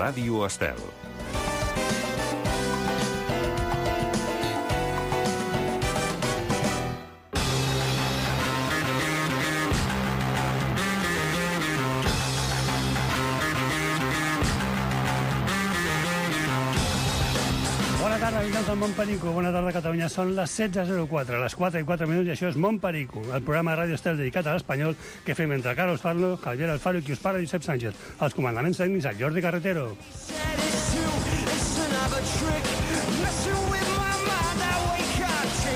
Ràdio Estel. Bona tarda, habitants del Montperico. Bona tarda, Catalunya. Són les 16:04, les 4:04 minuts, i això és Montperico, el programa de Ràdio Estel dedicat a l'espanyol que fem entre Carlos Farlo, Javier Alfaro i qui us parla, Josep Sánchez. Els comandaments tècnics, el Jordi Carretero.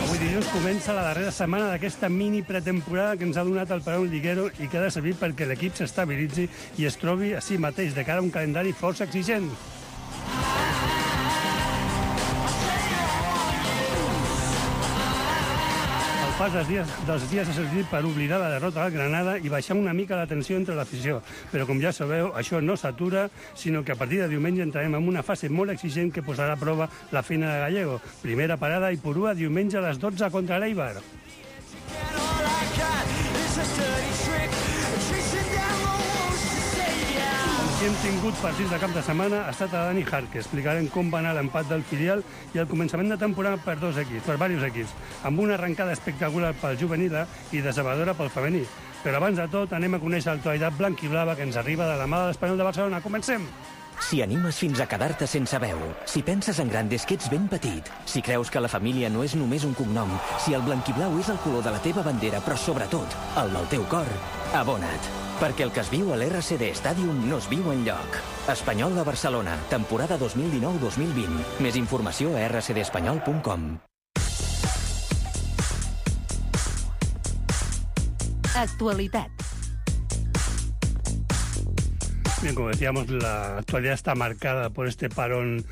Avui dilluns comença la darrera setmana d'aquesta mini pretemporada que ens ha donat el Palau Liguero i que ha de servir perquè l'equip s'estabilitzi i es trobi a si mateix de cara a un calendari força exigent. El pas dels dies ha servit per oblidar la derrota al Granada i baixar una mica la tensió entre l'afició. Però, com ja sabeu, això no s'atura, sinó que a partir de diumenge entrarem en una fase molt exigent que posarà a prova la feina de Gallego. Primera parada i Ipurua diumenge a les 12 contra l'Eibar. Si hem tingut partits de cap de setmana, ha estat a Dani Jarque. Explicarem com va anar l'empat del filial i el començament de temporada per diversos equips, amb una arrencada espectacular pel juvenil i decebedora pel femení. Però abans de tot, anem a conèixer l'actualitat blanquiblava que ens arriba de la mà de l'Espanyol de Barcelona. Comencem! Si animes fins a quedar-te sense veu, si penses en gran des que ets ben petit, si creus que la família no és només un cognom, si el blanquiblau és el color de la teva bandera, però sobretot el del teu cor, abona't. Perquè el que es viu a l'RCD Stadium no es viu enlloc. Espanyol de Barcelona, temporada 2019-2020. Més informació a rcdespanyol.com. Actualitat. Bien, como decíamos, la actualidad está marcada por este parón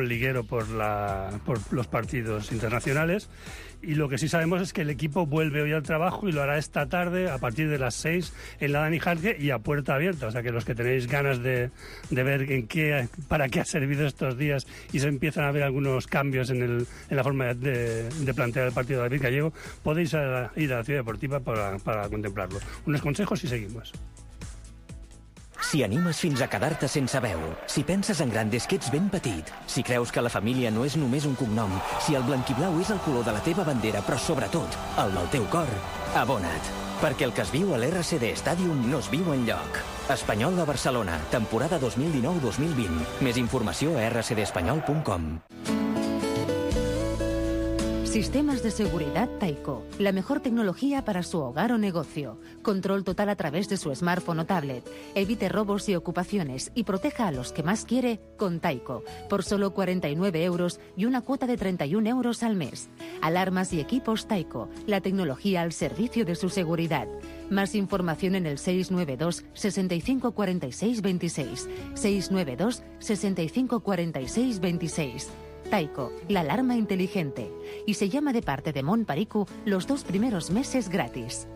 liguero por los partidos internacionales, y lo que sí sabemos es que el equipo vuelve hoy al trabajo y lo hará esta tarde a partir de las 6 en la Dani Jarque y a puerta abierta. O sea que los que tenéis ganas de ver para qué ha servido estos días y se empiezan a ver algunos cambios en la forma de plantear el partido de David Gallego, podéis ir a la Ciudad Deportiva para contemplarlo. Unos consejos y seguimos. Si animes fins a quedar-te sense veu, si penses en gran des que ets ben petit, si creus que la família no és només un cognom, si el blanquiblau és el color de la teva bandera, però sobretot el del teu cor, abona't. Perquè el que es viu a l'RCD Stadium no es viu enlloc. Espanyol de Barcelona, temporada 2019-2020. Més informació a rcdespanyol.com. Sistemas de seguridad Taiko. La mejor tecnología para su hogar o negocio. Control total a través de su smartphone o tablet. Evite robos y ocupaciones y proteja a los que más quiere con Taiko. Por solo 49 euros y una cuota de 31 euros al mes. Alarmas y equipos Taiko. La tecnología al servicio de su seguridad. Más información en el 692 65 46 26. 692 65 46 26. Taiko, la alarma inteligente. Y se llama de parte de Montperico los 2 primeros meses gratis.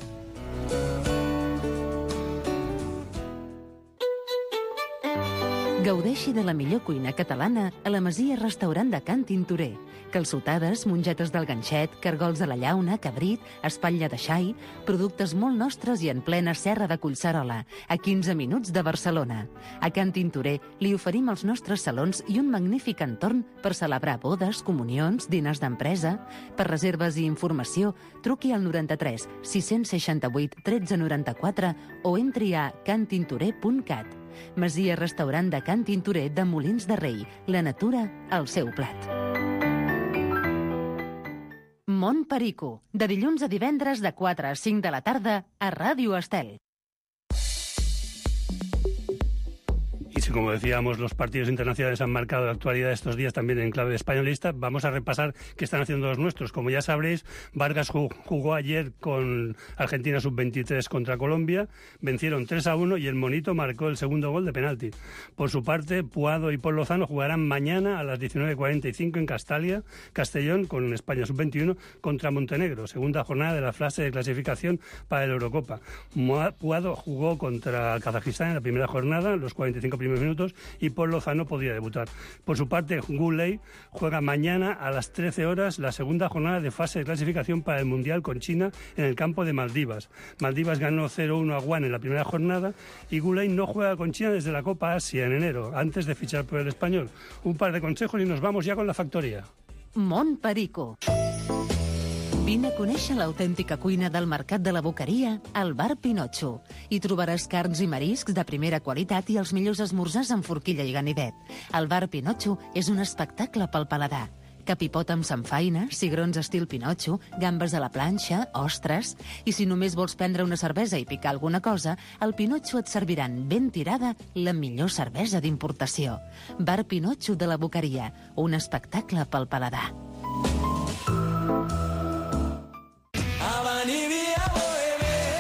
Gaudeixi de la millor cuina catalana a la Masia Restaurant de Can Tintorer. Calçotades, mongetes del ganxet, cargols de la llauna, cabrit, espatlla de xai, productes molt nostres i en plena serra de Collserola, a 15 minuts de Barcelona. A Can Tintorer li oferim els nostres salons i un magnífic entorn per celebrar bodes, comunions, diners d'empresa. Per reserves i informació, truqui al 93 668 1394 o entri a cantintorer.cat. Masia Restaurant de Can Tintorer de Molins de Rei. La natura al seu plat. Montperico, de dilluns a divendres de 4 a 5 de la tarda a Ràdio Estel. Y si, como decíamos, los partidos internacionales han marcado la actualidad estos días también en clave españolista, vamos a repasar qué están haciendo los nuestros. Como ya sabréis, Vargas jugó ayer con Argentina sub-23 contra Colombia, vencieron 3-1 y el Monito marcó el segundo gol de penalti. Por su parte, Puado y Paul Lozano jugarán mañana a las 19:45 en Castellón, con España sub-21 contra Montenegro, segunda jornada de la fase de clasificación para la Eurocopa. Puado jugó contra Kazajistán en la primera jornada, los 45 primeros primeros minutos y Paul Lozano podría debutar. Por su parte, Goulet juega mañana a las 13 horas la segunda jornada de fase de clasificación para el Mundial con China en el campo de Maldivas. Maldivas ganó 0-1 a Guam en la primera jornada y Goulet no juega con China desde la Copa Asia en enero, antes de fichar por el Español. Un par de consejos y nos vamos ya con la factoria. Mont Perico. Vine a conèixer l'autèntica cuina del Mercat de la Boqueria al Bar Pinotxo. Hi trobaràs carns i mariscs de primera qualitat i els millors esmorzars amb forquilla i ganivet. El Bar Pinotxo és un espectacle pel paladar. Capipot amb samfaina, cigrons estil Pinotxo, gambes a la planxa, ostres... I si només vols prendre una cervesa i picar alguna cosa, al Pinotxo et serviran ben tirada la millor cervesa d'importació. Bar Pinotxo de la Boqueria, un espectacle pel paladar.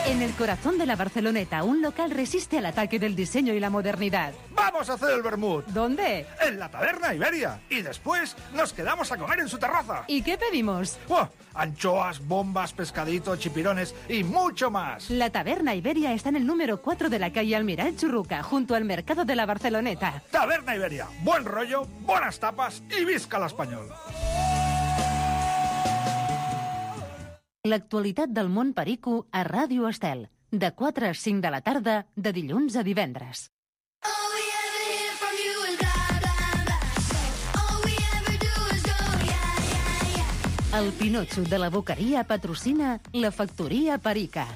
En el corazón de la Barceloneta, un local resiste al ataque del diseño y la modernidad. ¡Vamos a hacer el vermut! ¿Dónde? En la Taberna Iberia. Y después nos quedamos a comer en su terraza. ¿Y qué pedimos? ¡Oh! Anchoas, bombas, pescaditos, chipirones y mucho más. La Taberna Iberia está en el número 4 de la calle Almiral Churruca, junto al mercado de la Barceloneta. Taberna Iberia. Buen rollo, buenas tapas y visca l'espanyol. L'actualitat del món perico a Ràdio Estel, de 4 a 5 de la tarda, de dilluns a divendres. El Pinotxo de la Boqueria patrocina la Factoria Perica.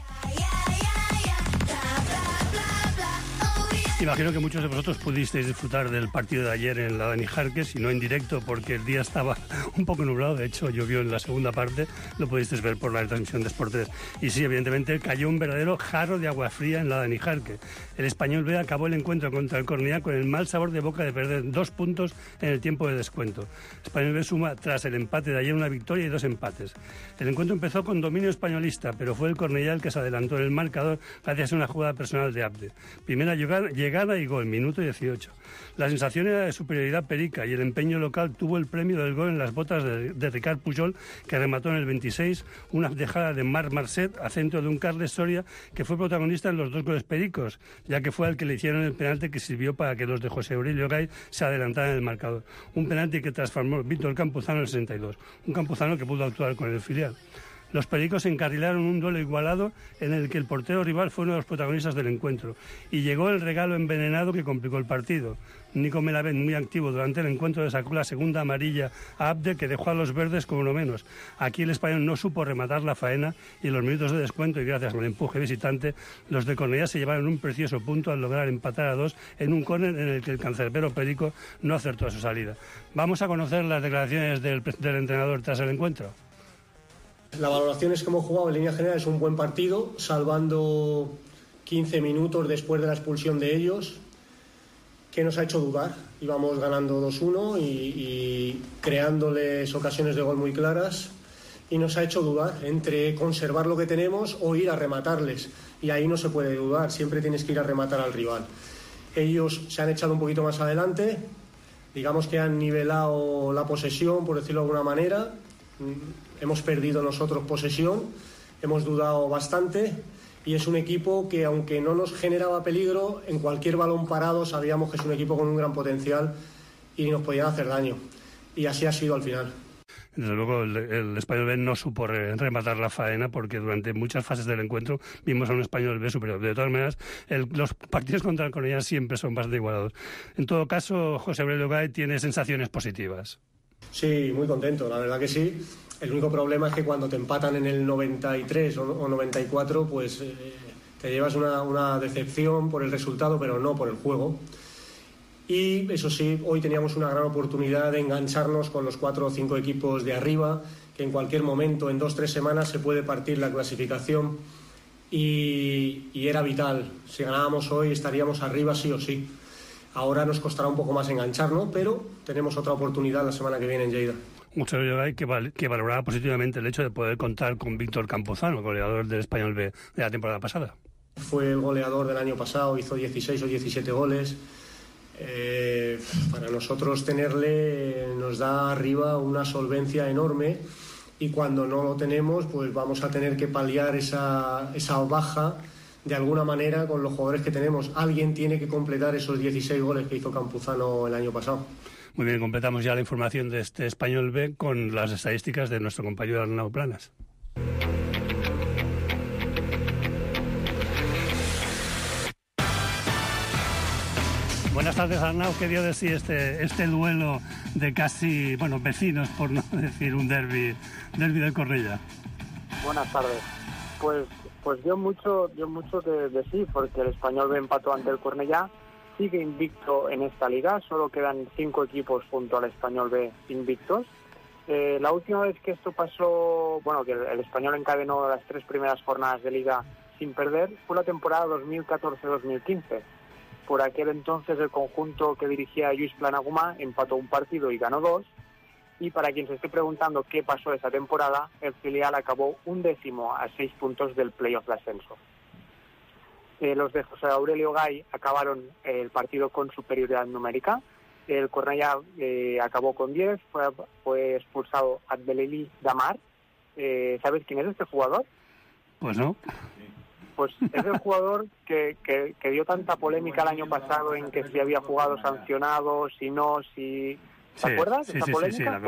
Imagino que muchos de vosotros pudisteis disfrutar del partido de ayer en la Dani Jarque, si no en directo, porque el día estaba un poco nublado. De hecho, llovió en la segunda parte, lo pudisteis ver por la retransmisión de Sport 3. Y sí, evidentemente, cayó un verdadero jarro de agua fría en la Dani Jarque. El Español B acabó el encuentro contra el Cornellá con el mal sabor de boca de perder 2 puntos en el tiempo de descuento. Español B suma, tras el empate de ayer, una victoria y 2 empates. El encuentro empezó con dominio españolista, pero fue el Cornellá el que se adelantó en el marcador gracias a una jugada personal de Abde. Primera llegada y gol, minuto 18. La sensación era de superioridad perica y el empeño local tuvo el premio del gol en las botas de Ricard Pujol, que remató en el 26 una dejada de Marc Marcet a centro de un Carles Soria, que fue protagonista en los 2 goles pericos, ya que fue al que le hicieron el penalti que sirvió para que los de José Aurelio Gay se adelantaran en el marcador. Un penalti que transformó Víctor Campuzano en el 62. Un Campuzano que pudo actuar con el filial. Los pericos encarrilaron un duelo igualado en el que el portero rival fue uno de los protagonistas del encuentro. Y llegó el regalo envenenado que complicó el partido. Nico Melamed, muy activo durante el encuentro, le sacó la segunda amarilla a Abde, que dejó a los verdes con uno menos. Aquí el Español no supo rematar la faena y en los minutos de descuento, y gracias al empuje visitante, los de Cornellá se llevaron un precioso punto al lograr empatar a 2 en un córner en el que el cancerbero perico no acertó a su salida. Vamos a conocer las declaraciones del entrenador tras el encuentro. La valoración es que hemos jugado en línea general, es un buen partido, salvando 15 minutos después de la expulsión de ellos, que nos ha hecho dudar. Íbamos ganando 2-1 y creándoles ocasiones de gol muy claras, y nos ha hecho dudar entre conservar lo que tenemos o ir a rematarles. Y ahí no se puede dudar, siempre tienes que ir a rematar al rival. Ellos se han echado un poquito más adelante, digamos que han nivelado la posesión, por decirlo de alguna manera. Hemos perdido nosotros posesión, hemos dudado bastante y es un equipo que, aunque no nos generaba peligro, en cualquier balón parado sabíamos que es un equipo con un gran potencial y nos podían hacer daño. Y así ha sido al final. Desde luego el Español B no supo rematar la faena, porque durante muchas fases del encuentro vimos a un Español B superior. De todas maneras, los partidos contra el Cornellá siempre son bastante igualados. En todo caso, José Aurelio Gay tiene sensaciones positivas. Sí, muy contento, la verdad que sí. El único problema es que cuando te empatan en el 93 o 94, pues te llevas una decepción por el resultado, pero no por el juego. Y eso sí, hoy teníamos una gran oportunidad de engancharnos con los 4 o 5 equipos de arriba, que en cualquier momento, en 2 o 3 semanas, se puede partir la clasificación. Y era vital. Si ganábamos hoy, estaríamos arriba sí o sí. Ahora nos costará un poco más engancharnos, pero tenemos otra oportunidad la semana que viene en Lleida. Mucho que valoraba positivamente el hecho de poder contar con Víctor Campuzano, goleador del Español B de la temporada pasada. Fue el goleador del año pasado, hizo 16 o 17 goles. Para nosotros tenerle nos da arriba una solvencia enorme, y cuando no lo tenemos, pues vamos a tener que paliar esa baja de alguna manera, con los jugadores que tenemos, alguien tiene que completar esos 16 goles que hizo Campuzano el año pasado. Muy bien, completamos ya la información de este Español B con las estadísticas de nuestro compañero Arnau Planas. Buenas tardes, Arnau. ¿Qué dio de sí este duelo de casi, vecinos, por no decir un derbi del Cornellá? Buenas tardes. Pues dio mucho de sí, porque el Español B empató ante el Cornellá, sigue invicto en esta liga, solo quedan 5 equipos junto al Español B invictos. La última vez que esto pasó, que el Español encadenó las 3 primeras jornadas de liga sin perder, fue la temporada 2014-2015. Por aquel entonces el conjunto que dirigía Lluís Planagumà empató un partido y ganó 2. Y para quien se esté preguntando qué pasó esa temporada, el filial acabó 11º a 6 puntos del playoff de ascenso. Los de José Aurelio Gay acabaron el partido con superioridad numérica. El Cornellá acabó con 10, fue expulsado Abdeleli Damar. ¿Sabes quién es este jugador? Pues no. Pues es el jugador que dio tanta polémica el año pasado en que si había jugado sancionado, si no, si... ¿Te acuerdas de esa polémica?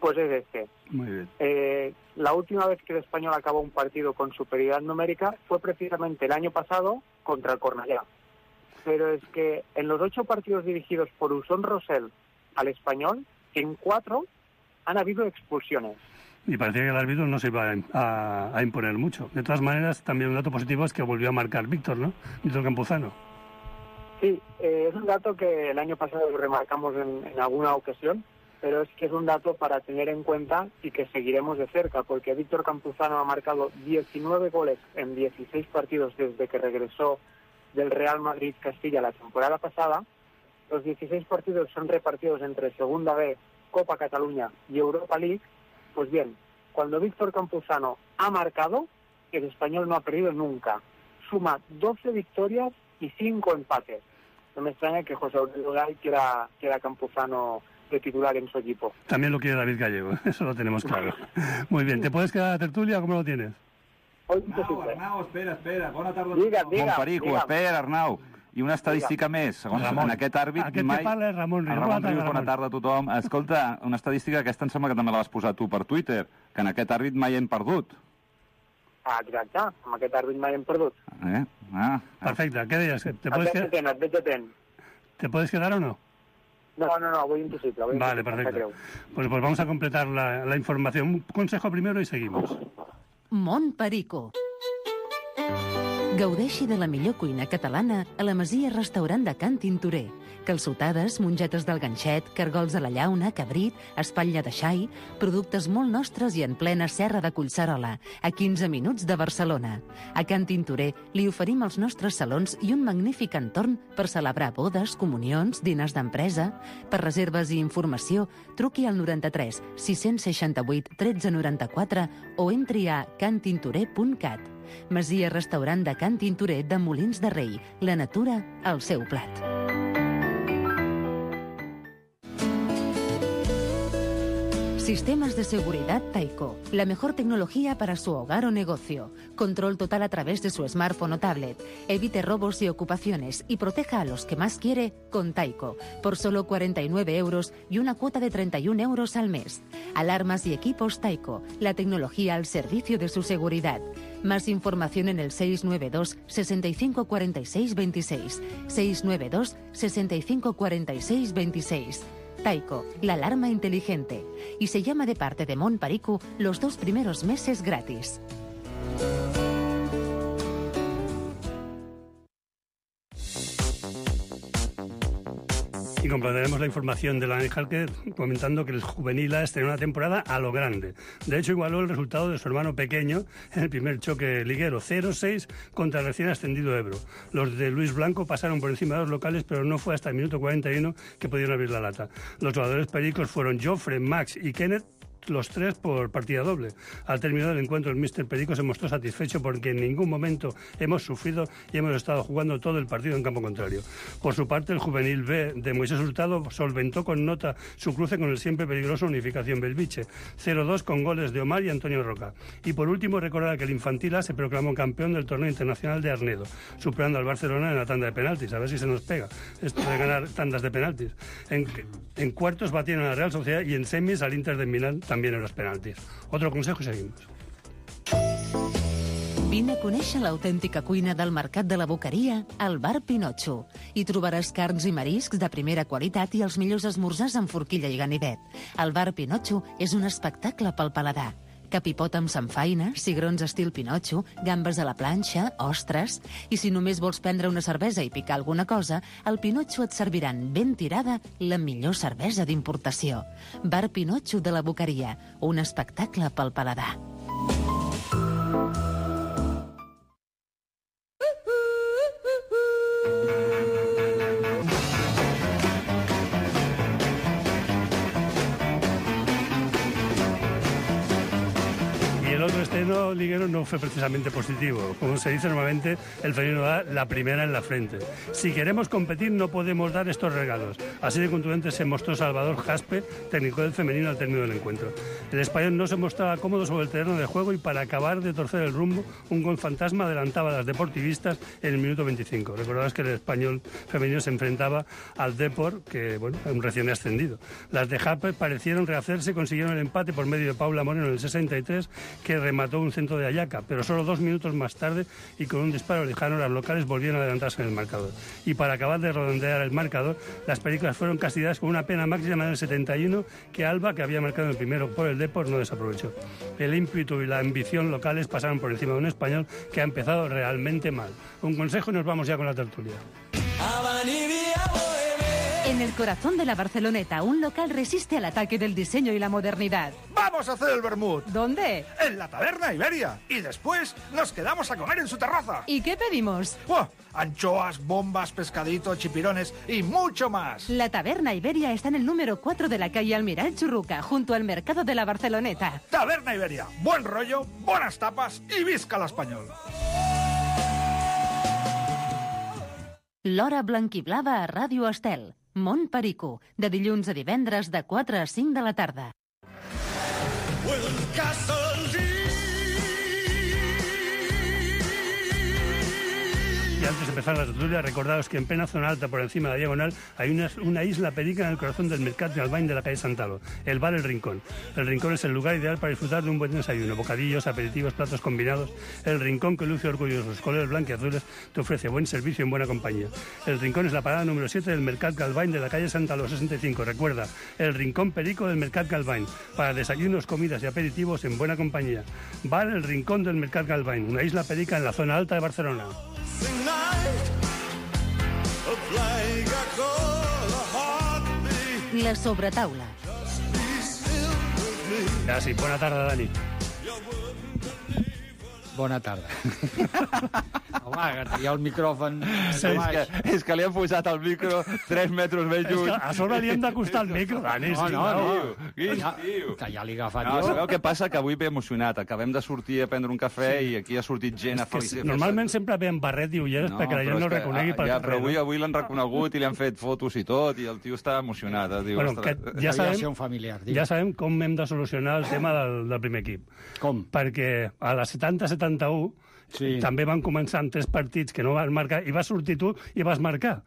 Pues es este. Muy bien. La última vez que el Español acabó un partido con superioridad numérica fue precisamente el año pasado contra el Cornellá. Pero es que en los 8 partidos dirigidos por Usón Rosell al Español, en 4 han habido expulsiones. Y parecía que el árbitro no se iba a imponer mucho. De todas maneras, también un dato positivo es que volvió a marcar Víctor, ¿no? Víctor Campuzano. Sí, es un dato que el año pasado lo remarcamos en alguna ocasión, pero es que es un dato para tener en cuenta y que seguiremos de cerca, porque Víctor Campuzano ha marcado 19 goles en 16 partidos desde que regresó del Real Madrid Castilla la temporada pasada. Los 16 partidos son repartidos entre Segunda B, Copa Cataluña y Europa League. Pues bien, cuando Víctor Campuzano ha marcado, el Español no ha perdido nunca. Suma 12 victorias y 5 empates. No me extraña que José Aurelio Gay quiera Campuzano de titular en su equipo. También lo quiere David Gallego, eso lo tenemos claro. Muy bien, ¿te puedes quedar a la tertulia o cómo lo tienes? Arnau, espera. Bona tarda. Digue. Perico, espera, Arnau. I una estadística més, segons en aquest àrbit... Aquest que parla és Ramon Rius. Ramon Rius, bona tarda a tothom. Escolta, una estadística, aquesta em sembla que també la vas posar tu per Twitter, que en aquest àrbit mai hem perdut. Exacte, amb aquest àrbit mai hem perdut. Perfecte, què deies? Et veig atent. ¿Te puedes quedar o no? No, voy imposible. Vale, perfecto. Pues vamos a completar la información. Un consejo primero y seguimos. Mont Perico. Gaudeixi de la millor cuina catalana a la Masia Restaurant de Can Tintorer. Calçotades, mongetes del ganxet, cargols a la llauna, cabrit, espatlla de xai, productes molt nostres i en plena serra de Collserola, a 15 minuts de Barcelona. A Can Tintorer li oferim els nostres salons i un magnífic entorn per celebrar bodes, comunions, diners d'empresa. Per reserves i informació, truqui al 93 668 1394 o entri a cantintorer.cat. Masia Restaurant de Can Tintorer de Molins de Rei. La natura al seu plat. Sistemas de seguridad Taiko. La mejor tecnología para su hogar o negocio. Control total a través de su smartphone o tablet. Evite robos y ocupaciones y proteja a los que más quiere con Taiko. Por solo 49 euros y una cuota de 31 euros al mes. Alarmas y equipos Taiko. La tecnología al servicio de su seguridad. Más información en el 692 65 46 26. 692 65 46 26. Taiko, la alarma inteligente. Y se llama de parte de Mont Perico los 2 primeros meses gratis. Y completaremos la información de la Jalque comentando que el Juvenil A estrenó una temporada a lo grande. De hecho, igualó el resultado de su hermano pequeño en el primer choque liguero, 0-6 contra el recién ascendido Ebro. Los de Luis Blanco pasaron por encima de los locales, pero no fue hasta el minuto 41 que pudieron abrir la lata. Los jugadores pericos fueron Jofre, Max y Kenneth, los 3 por partida doble. Al término del encuentro, el míster Perico se mostró satisfecho porque en ningún momento hemos sufrido y hemos estado jugando todo el partido en campo contrario. Por su parte, el juvenil B de Moisés Hurtado solventó con nota su cruce con el siempre peligroso Unificación Belviche, 0-2 con goles de Omar y Antonio Roca. Y por último, recordar que el Infantil A se proclamó campeón del torneo internacional de Arnedo, superando al Barcelona en la tanda de penaltis. A ver si se nos pega esto de ganar tandas de penaltis. En cuartos batieron a la Real Sociedad y en semis al Inter de Milán también en los penaltis. Otro consejo y seguimos. Vine a conèixer l'autèntica cuina del Mercat de la Boqueria al Bar Pinotxo. Hi trobaràs carns i mariscs de primera qualitat i els millors esmorzars amb forquilla i ganivet. El Bar Pinotxo és un espectacle pel paladar. Capipot amb samfaina, cigrons estil Pinotxo, gambes a la planxa, ostres... I si només vols prendre una cervesa i picar alguna cosa, al Pinotxo et serviran ben tirada la millor cervesa d'importació. Bar Pinotxo de la Boqueria, un espectacle pel paladar. El otro estreno liguero no fue precisamente positivo. Como se dice normalmente, el femenino da la primera en la frente. Si queremos competir, no podemos dar estos regalos. Así de contundente se mostró Salvador Jaspe, técnico del femenino, al término del encuentro. El español no se mostraba cómodo sobre el terreno de juego y para acabar de torcer el rumbo, un gol fantasma adelantaba a las deportivistas en el minuto 25. Recordabas que el español femenino se enfrentaba al Depor, que, bueno, un recién ascendido. Las de Jaspe parecieron rehacerse y consiguieron el empate por medio de Paula Moreno en el 63, que remató un centro de Ayaca, pero solo 2 minutos más tarde y con un disparo lejano las locales volvieron a adelantarse en el marcador. Y para acabar de redondear el marcador, las películas fueron castigadas con una pena máxima en el 71 que Alba, que había marcado el primero por el Depor, no desaprovechó. El ímpetu y la ambición locales pasaron por encima de un español que ha empezado realmente mal. Un consejo y nos vamos ya con la tertulia. En el corazón de la Barceloneta, un local resiste al ataque del diseño y la modernidad. ¡Vamos a hacer el vermut! ¿Dónde? En la Taberna Iberia. Y después nos quedamos a comer en su terraza. ¿Y qué pedimos? ¡Buah! Anchoas, bombas, pescadito, chipirones y mucho más. La Taberna Iberia está en el número 4 de la calle Almiral Churruca, junto al mercado de la Barceloneta. Taberna Iberia. Buen rollo, buenas tapas y visca l'espanyol. L'Hora Blanquiblava a Ràdio Estel. Mont Perico, de dilluns a divendres de 4 a 5 de la tarda. Y antes de empezar la tertulia, recordaos que en plena zona alta, por encima de la diagonal, hay una isla perica en el corazón del Mercat de Albany de la calle Santalo, el bar El Rincón. El Rincón es el lugar ideal para disfrutar de un buen desayuno, bocadillos, aperitivos, platos combinados. El Rincón, que luce orgulloso sus colores blanquiazules, te ofrece buen servicio en buena compañía. El Rincón es la parada número 7 del Mercat Galvany de la calle Santalo 65. Recuerda, el Rincón Perico del Mercat Galvany, para desayunos, comidas y aperitivos en buena compañía. Bar El Rincón del Mercat Galvany, una isla perica en la zona alta de Barcelona. La sobretaula. Ja, sí, bona tarda, Dani. Bona tarda. Home, que tenia el micròfon... És que li han posat el micro 3 metres més lluny. És que a sobre li hem d'acostar el micro, Dani. No. Quin tio. Que ja l'he agafat No, jo. sabeu què passa? Que avui ve emocionat. Acabem de sortir a prendre un cafè i aquí ha sortit gent a felicitar. Normalment sempre ve amb barret i ulleres perquè la gent no el reconegui pel carrer. Però avui l'han reconegut i li han fet fotos i tot, i el tio està emocionat. Diu, Bueno, que ja Devia ser sabem, un familiar. ja sabem com hem de solucionar el tema del primer equip. Com? Perquè a la 70-71 Sí. també van començar amb 3 partits que no van marcar i vas sortir tu i vas marcar.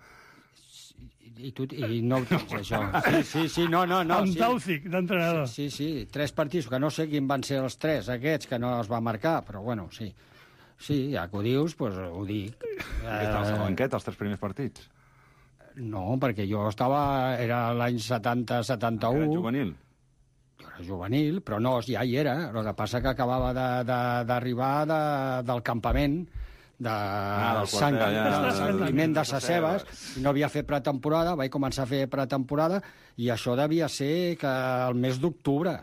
I no ho tens, això. Sí, no. Amb Sí. Tauzic, d'entrenador. Sí, 3 partits, que no sé quin van ser els 3 aquests que no es va marcar, però bueno, sí. Sí, ja que ho dius, doncs ho dic. Què tal la banqueta, els 3 primers partits? No, perquè jo era l'any 70-71. Era juvenil? Jo era juvenil, però no, ja hi era. El que passa que acabava d'arribar del campament, del Santiment de Sasseves, i no havia fet pretemporada, vaig començar a fer pretemporada, i això devia ser que el mes d'octubre.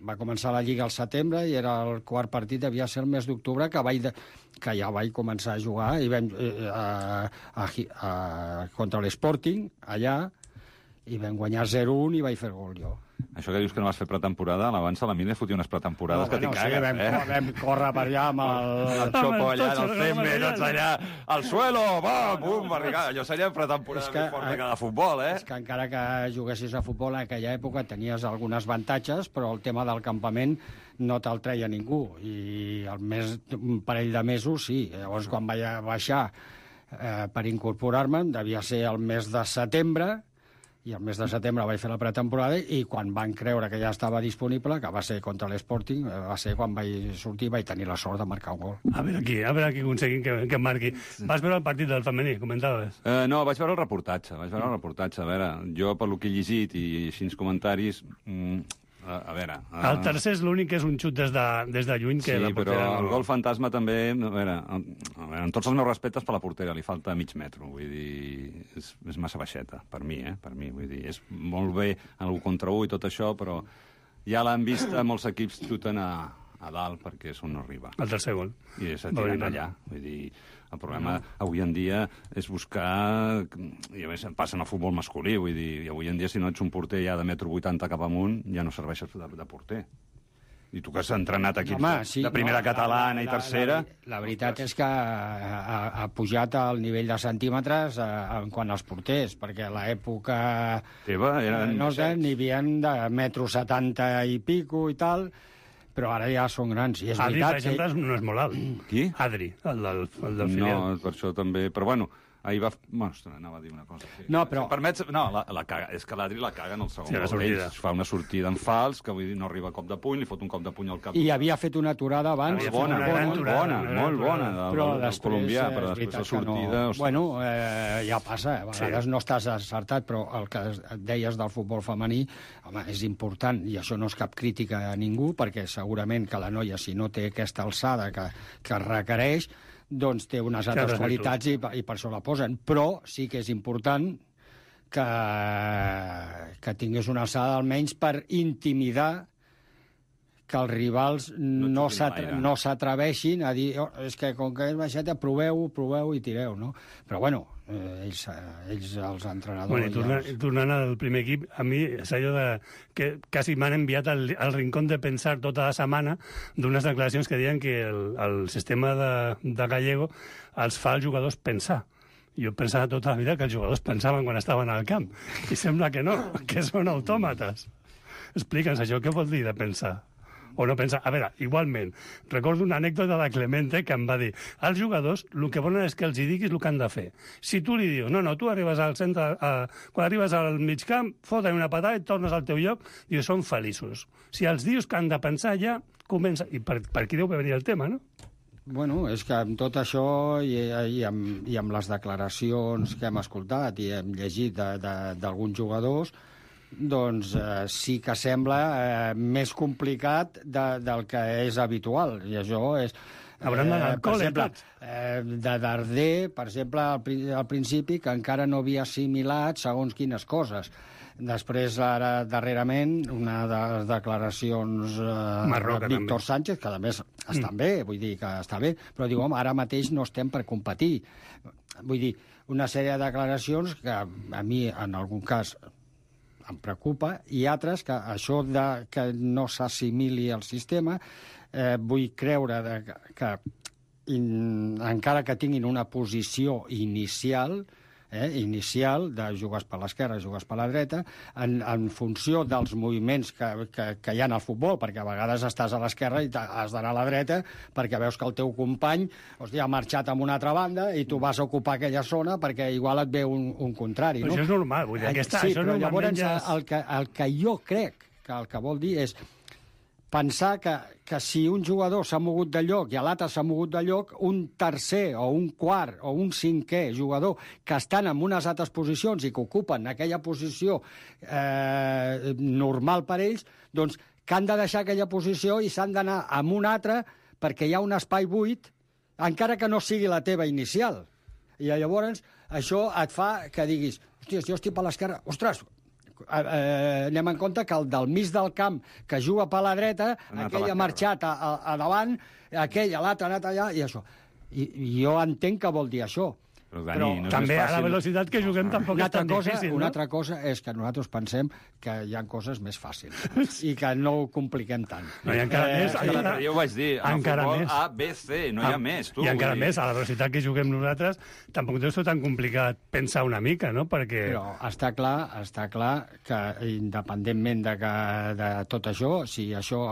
Va començar la Lliga al setembre i era el 4 partit, devia ser el mes d'octubre, que ja vaig començar a jugar i vam, contra l'Sporting, allà, i vam guanyar 0-1 i vaig fer gol jo. Això que dius que no vas fer pretemporada, abans a la Mili fotia unes pretemporades que t'hi cagues, Vam córrer per allà amb el xopo allà, el cembe, tots allà, al suelo, bum, barricada. Allò seria pretemporada més forta que de futbol, És que encara que juguessis a futbol en aquella època tenies algunes avantatges, però el tema del campament no te'l treia ningú. I un parell de mesos, sí. Llavors, quan vaig baixar per incorporar-me, devia ser el mes de setembre, i el mes de setembre vaig fer la pretemporada i quan van creure que ja estava disponible, que va ser contra l'Sporting, va ser quan vaig sortir i vaig tenir la sort de marcar un gol. A veure aquí aconseguim que marqui. Vas veure el partit del femení, comentaves? No, vaig veure el reportatge. A veure, jo per lo que he llegit i així comentaris... A veure... El tercer és l'únic que és un xut des de lluny. Que sí, la però el gol fantasma també... A veure, amb tots els meus respectes per la portera, li falta mig metro, vull dir... És massa baixeta, per mi, per mi. Vull dir, és molt bé en l'1 contra 1 i tot això, però ja l'han vist molts equips xuten a dalt perquè és on no arriba. El tercer gol. I se tiren allà, vull dir... El problema avui en dia és buscar... I a més passa en el futbol masculí, vull dir, avui en dia si no ets un porter ja de 1,80 m cap amunt, ja no serveixes de porter. I tu que has entrenat equips de primera catalana i tercera... La veritat és que ha pujat el nivell de centímetres en quant als porters, perquè a l'època... Teva eren... N'hi havia de 1,70 m i pico i tal... Però ara ja són grans. I és Adri, veritat, per exemple, no és molt alt. Qui? Adri, el del filial. No, per això també... Però bueno, ahir va... Bueno, anava a dir una cosa. Sí. No, però... Si permets... No, la caga. És que l'Adri la caga en el segon gol. Ell fa una sortida en fals, que vull dir, no arriba a cop de puny, li fot un cop de puny al cap. I havia fet una aturada abans. Molt bona, però del colombià, però després la sortida... No. Bueno, ja passa, a vegades no estàs acertat, però el que deies del futbol femení, home, és important, i això no és cap crítica a ningú, perquè segurament que la noia, si no té aquesta alçada que requereix, doncs té unes altres qualitats i per això la posen. Però sí que és important que tingués una alçada almenys per intimidar que els rivals no s'atreveixin a dir és que com que és baixeta, proveu i tireu, no? Però bueno, ells els entrenadors... Bueno, i tornant al primer equip, a mi és allò que quasi m'han enviat al rincón de pensar tota la setmana d'unes declaracions que diuen que el sistema de Gallego els fa als jugadors pensar. Jo pensava tota la vida que els jugadors pensaven quan estaven al camp, i sembla que no, que són autòmates. Explica'ns això, què vol dir de pensar? O no pensar... A veure, igualment, recordo una anècdota de Clemente que em va dir els jugadors el que volen és que els hi diguis el que han de fer. Si tu li dius, no, tu arribes al centre, quan arribes al mig camp, fota una patada i tornes al teu lloc, i són feliços. Si els dius que han de pensar, ja comença... I per aquí deu venir el tema, no? Bueno, és que amb tot això i amb les declaracions que hem escoltat i hem llegit d'alguns jugadors, doncs sí que sembla més complicat del que és habitual. I això és... Hauran d'anar al col·le, tots. De Darder, per exemple, al principi, que encara no havia assimilat segons quines coses. Després, ara, darrerament, una de les declaracions de Víctor Sánchez, que a més estan bé, vull dir que està bé, però diu, home, ara mateix no estem per competir. Vull dir, una sèrie de declaracions que a mi, en algun cas, em preocupa, i altres que això que no s'assimili al sistema, vull creure que encara que tinguin una posició inicial de jugues per l'esquerra, jugues per la dreta, en funció dels moviments que hi ha al futbol, perquè a vegades estàs a l'esquerra i has d'anar a la dreta perquè veus que el teu company ha marxat a una altra banda i tu vas a ocupar aquella zona perquè igual et ve un contrari. Però això és normal, vull dir, sí, però llavors el que jo crec que el que vol dir és pensar que si un jugador s'ha mogut de lloc i l'altre s'ha mogut de lloc, un tercer o un quart o un cinquè jugador que estan en unes altres posicions i que ocupen aquella posició normal per ells, doncs que han de deixar aquella posició i s'han d'anar amb un altre perquè hi ha un espai buit, encara que no sigui la teva inicial. I llavors això et fa que diguis, hòstia, jo estic per l'esquerra, ostres, anem en compte que el del mig del camp que juga per la dreta, aquell ha marxat a davant, aquell, l'altre ha anat allà, i això. I jo entenc que vol dir això, Però, Dani, no és també més a la fàcil... velocitat que juguem tampoc és tan difícil, Una no? altra cosa és que nosaltres pensem que hi ha coses més fàcils i que no ho compliquem tant. No, i encara més... Però jo ho vaig dir, en el encara futbol més. A, B, C, no hi ha més, tu. I encara més, a la velocitat que juguem nosaltres, tampoc deu ser tan complicat pensar una mica, no? Perquè... Però està clar que independentment de tot això, si això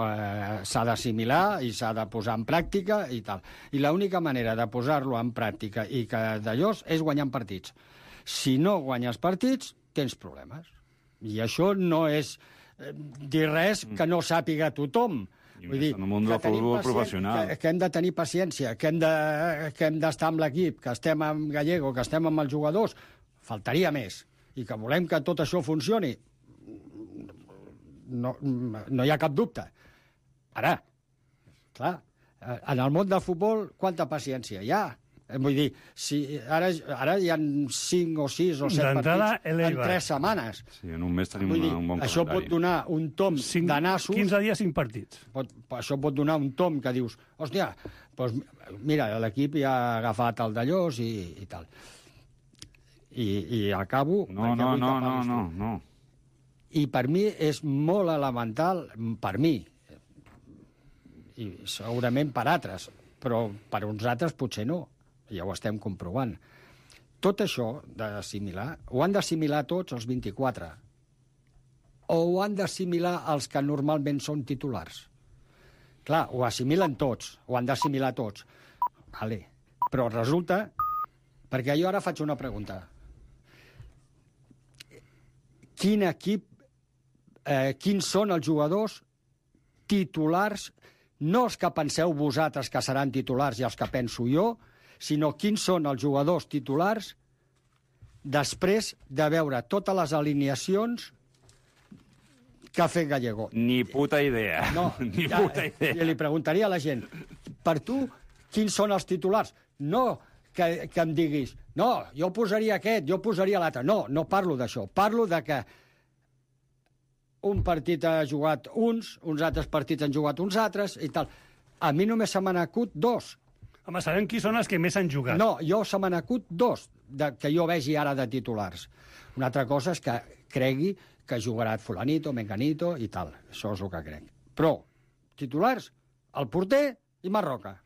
s'ha d'assimilar i s'ha de posar en pràctica i tal. I l'única manera de posar-lo en pràctica i que d'allò és guanyant partits. Si no guanyes partits, tens problemes. I això no és dir res que no sàpiga tothom. Vull dir, en el món del futbol professional. Que hem de tenir paciència, que hem d'estar amb l'equip, que estem amb Gallego, que estem amb els jugadors. Faltaria més. I que volem que tot això funcioni. No hi ha cap dubte. Ara, clar, en el món del futbol, quanta paciència hi ha? Vull dir, si ara hi ha 5 o 6 o 7 partits en 3 setmanes. Sí, en un mes tenim un bon calendari. Això pot donar un tom de nassos. 15 dies, 5 partits. Això pot donar un tom que dius, hòstia, doncs mira, l'equip ja ha agafat el d'allòs i tal. I acabo... No. I per mi és molt elemental, per mi, i segurament per altres, però per uns altres potser no. Ja ho estem comprovant. Tot això d'assimilar, ho han d'assimilar tots els 24, o ho han d'assimilar els que normalment són titulars. Clar, ho assimilen tots, ho han d'assimilar tots. Vale. Però resulta... Perquè jo ara faig una pregunta. Quin equip, quins són els jugadors titulars, no els que penseu vosaltres que seran titulars i els que penso jo, sinó quins són els jugadors titulars després de veure totes les alineacions que ha fet Gallego. Ni puta idea. No, Ni puta idea. I li preguntaria a la gent, per tu, quins són els titulars? No que em diguis, no, jo posaria aquest, jo posaria l'altre. No parlo d'això. Parlo de que un partit ha jugat uns altres partits han jugat uns altres i tal. A mi només se m'han acut 2. Home, sabem qui són els que més han jugat. No, se m'han acut 2 que jo vegi ara de titulars. Una altra cosa és que cregui que jugarà fulanito, menganito i tal. Això és el que crec. Però, titulars, el porter i Marroca.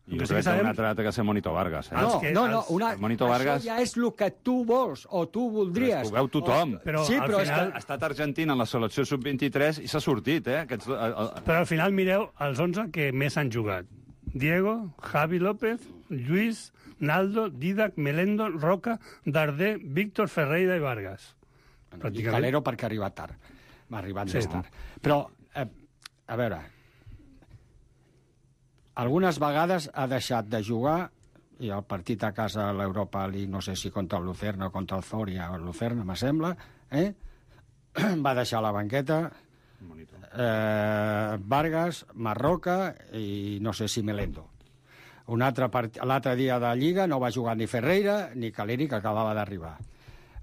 I jo crec que un altre que ser Monito Vargas. Monito Vargas... Això ja és el que tu vols o tu voldries. Però ho veu tothom. Però sí, però final... Ha estat Argentina en la selecció sub-23 i s'ha sortit, eh? Però al final mireu els 11 que més han jugat. Diego, Javi López, Lluís, Naldo, Didac, Melendo, Roca, Darder, Víctor, Ferreira i Vargas. I Calero perquè ha arribat tard. M'ha arribat més tard. Però, a veure, algunes vegades ha deixat de jugar i el partit a casa a l'Europa League, no sé si contra el Lucerna o contra el Zoria o el Lucerna, me sembla, va deixar la banqueta Vargas, Marroca i no sé si Melendo. L'altre dia de Lliga no va jugar ni Ferreira ni Caleri, que acabava d'arribar.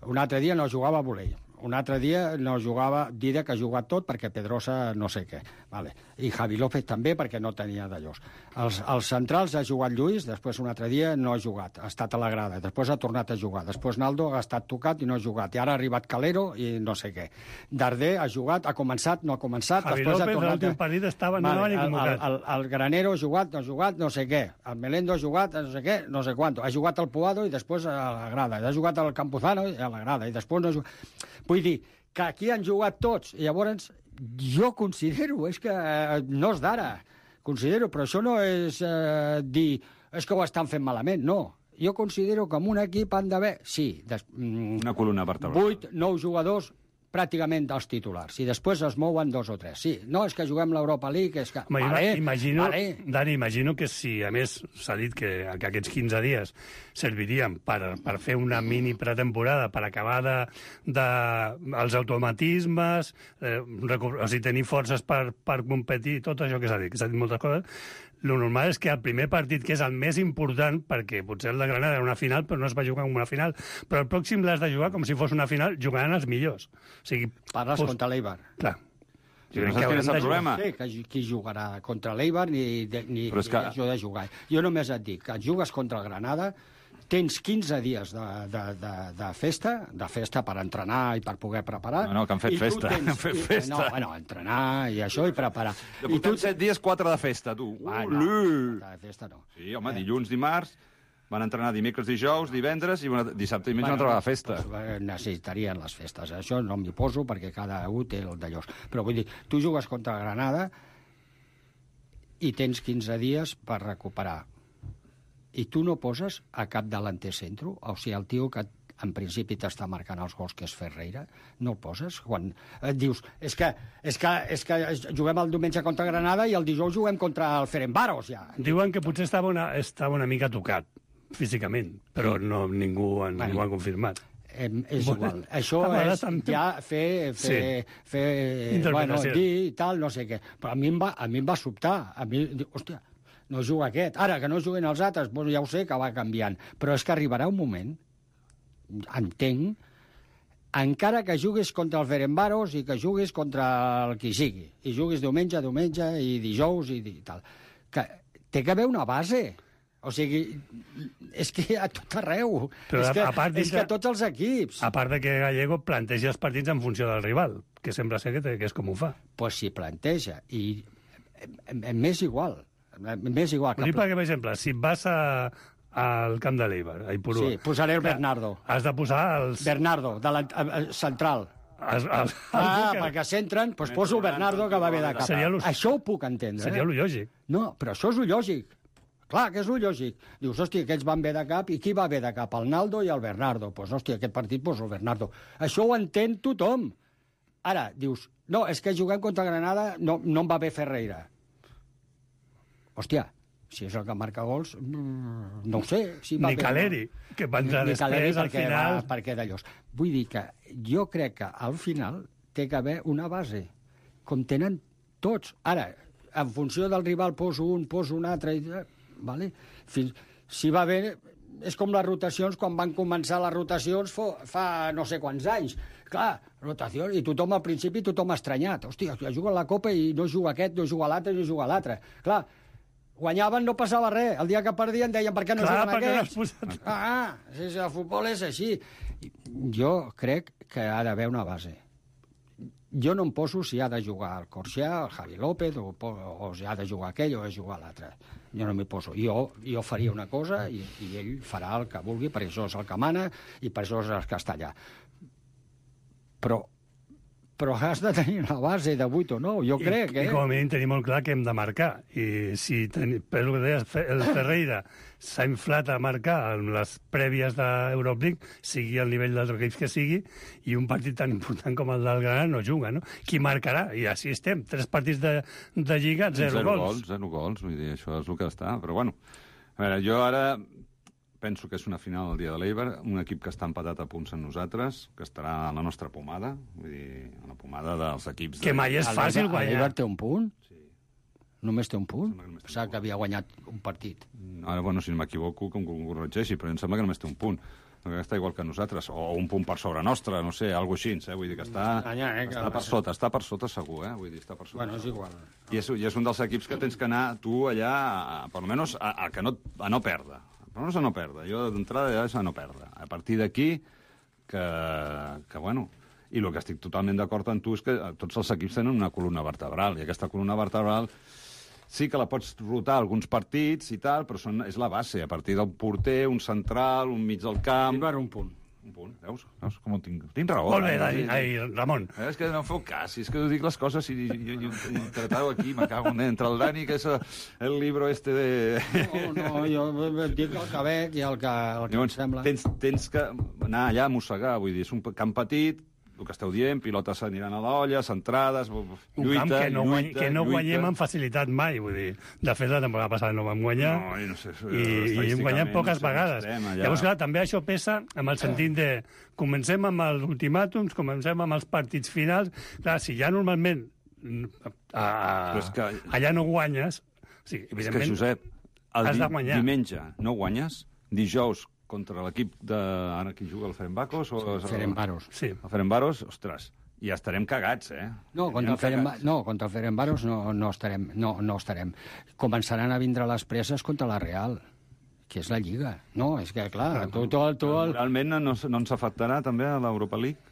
Un altre dia no jugava Bolell. Un altre dia no jugava Dida, que ha jugat tot, perquè Pedrosa no sé què. Vale. I Javi López també, perquè no tenia d'allòs. Els centrals ha jugat Lluís, després un altre dia no ha jugat, ha estat a la grada, després ha tornat a jugar, després Naldo ha estat tocat i no ha jugat, i ara ha arribat Calero i no sé què. Darder ha jugat, ha començat, no ha començat, Javi després López, ha tornat... l'últim partit estava, no ni convocat. El Granero ha jugat, no ha jugat, no sé què. El Melendo ha jugat, no sé què, no sé quanto. Ha jugat al Puado i després a la grada. Ha jugat al Campuzano i a la grada, i després no ha jugat... Vull dir, que aquí han jugat tots, i llavors jo considero, és que no és d'ara, considero, però això no és dir, és que ho estan fent malament, no. Jo considero que en un equip han d'haver, sí, una columna vertebral. 8, 9 jugadors pràcticament els titulars, i després es mouen 2 o 3. Sí, no, és que juguem l'Europa League, és que... Dani, imagino que si, a més, s'ha dit que aquests 15 dies servirien per fer una mini pretemporada, per acabar els automatismes, o sigui, tenir forces per competir, tot això que s'ha dit moltes coses. Lo normal és que el primer partit, que és el més important, perquè potser el de Granada era una final, però no es va jugar com una final, però el pròxim l'has de jugar com si fos una final, jugaran els millors. O sigui, parles contra l'Eibar. Clar. No saps quin és el problema? No sé qui jugarà contra l'Eibar ni això de jugar. Jo només et dic que jugues contra el Granada, tens 15 dies de festa per entrenar i per poder preparar. No, que han fet festa. Han fet festa. No, bueno, entrenar i això i preparar. I tu 7 dies, 4 de festa, tu. No, de festa no. Sí, home, dilluns, dimarts, van entrenar dimecres, dijous, divendres, i dissabte i diumenge una altra vegada festa. Pues, necessitarien les festes. Això no m'hi poso perquè cada un té el d'allò. Però vull dir, tu jugues contra Granada i tens 15 dies per recuperar. I tu no poses a cap delanter centro? O sigui, el tio que en principi t'està marcant els gols, que és Ferreira, no el poses? Quan et dius, és que juguem el diumenge contra Granada i el dijous juguem contra el Ferencváros, ja. Diuen que potser estava una mica tocat, físicament, però no, ningú ho ha confirmat. És igual. Això és ja fer dir i tal, no sé què. Però a mi em va sobtar. A mi, hòstia, no juga aquest. Ara, que no juguen els altres, doncs ja ho sé que va canviant. Però és que arribarà un moment, entenc, encara que juguis contra el Ferencváros i que juguis contra el qui sigui, i juguis diumenge i dijous i tal, que té que haver una base. O sigui, és que a tot arreu. Però és que a tots els equips. A part de que Gallego planteja els partits en funció del rival, que sembla ser que és com ho fa. Pues si planteja, i m'és igual. M'és igual. Ho dic perquè, per exemple, si vas al camp de l'Eibar, a Ipurua... Sí, posaré el Bernardo. Has de posar els... Bernardo, central. Perquè s'entren, doncs poso el Bernardo que va bé de cap. Això ho puc entendre. Seria lo lògic. No, però això és lo lògic. Clar, que és lo lògic. Dius, hòstia, aquests van bé de cap, i qui va bé de cap? El Naldo i el Bernardo. Doncs, hòstia, aquest partit poso el Bernardo. Això ho entén tothom. Ara, dius, no, és que juguem contra Granada, no em va bé Ferreira. Hòstia, si és el que marca gols, no ho sé. Si va ni Caleri, que va entrar després, al final... Perquè d'allò. Vull dir que jo crec que al final té que haver una base, com tenen tots. Ara, en funció del rival poso un altre... Vale? Si va bé, és com les rotacions, quan van començar les rotacions fa no sé quants anys. Clar, rotació, i tothom al principi estranyat. Hòstia, juga a la Copa i no juga aquest, no juga l'altre, no juga l'altre. Clar, guanyaven, no passava res. El dia que perdien deien, per què no juguen aquests? El futbol és així. Jo crec que ha d'haver una base. Jo no em poso si ha de jugar el Corsià, el Javi López, o si ha de jugar aquell o ha de jugar l'altre. Jo no m'hi poso. Jo faria una cosa i ell farà el que vulgui, perquè això és el que mana i per això és el que està allà. Però has de tenir una base de 8 o 9, jo crec. I com a mínim tenim molt clar que hem de marcar. I si, per el que deies, el Ferreira s'ha inflat a marcar en les prèvies d'Euroleague, sigui el nivell dels equips que sigui, i un partit tan important com el del Granada no juga, no? Qui marcarà? I així estem. 3 partits de Lliga, 0 gols. 0 gols, vull dir, això és el que està. Però bueno, a veure, jo ara... penso que és una final el dia de l'Eibar, un equip que està empatat a punts amb nosaltres, que estarà a la nostra pomada, vull dir, a la pomada dels equips... Que mai és fàcil guanyar. L'Eibar té un punt? Sí. Només té un punt? Pensava que havia guanyat un partit. Ara, bueno, si no m'equivoco, que em corregeixi, però em sembla que només té un punt. Que està igual que nosaltres, o un punt per sobre nostre, no sé, alguna cosa així, vull dir que està per sota segur, vull dir, està per sota. Bueno, és igual. I és un dels equips que tens que anar tu allà, per almenys, a no perdre. Però no és a no perdre. Jo, d'entrada, ja és a no perdre. A partir d'aquí, que bueno... I el que estic totalment d'acord amb tu és que tots els equips tenen una columna vertebral, i aquesta columna vertebral sí que la pots rotar alguns partits i tal, però és la base. A partir del porter, un central, un mig del camp... Eibar, un punt. Un punt, veus com ho tinc? Tinc raó. Molt bé, Ramon. És que no em feu cas, és que dic les coses i tratau aquí, me cago entre el Dani, que és el libro este de... No, jo dic el que veig i el que em sembla. Tens que anar allà a mossegar, vull dir, és un camp petit, el que esteu dient, pilotes s'aniran a l'olla, centrades, lluita... Que no guanyem amb facilitat mai, vull dir. De fet, la temporada passada no vam guanyar, i hem guanyat poques vegades. Llavors, clar, també això pesa amb el sentit de comencem amb els ultimàtums, comencem amb els partits finals. Clar, si ja normalment allà no guanyes, sí, evidentment has de guanyar. Diumenge no guanyes, dijous contra l'equip de... Ara qui juga, el Ferencváros? Ferencváros. Sí. El Ferencváros, ostres, ja estarem cagats, No, contra el Ferencváros no estarem. Començaran a vindre les presses contra la Real, que és la Lliga. No, és que, clar, Realment no ens afectarà també a l'Europa League?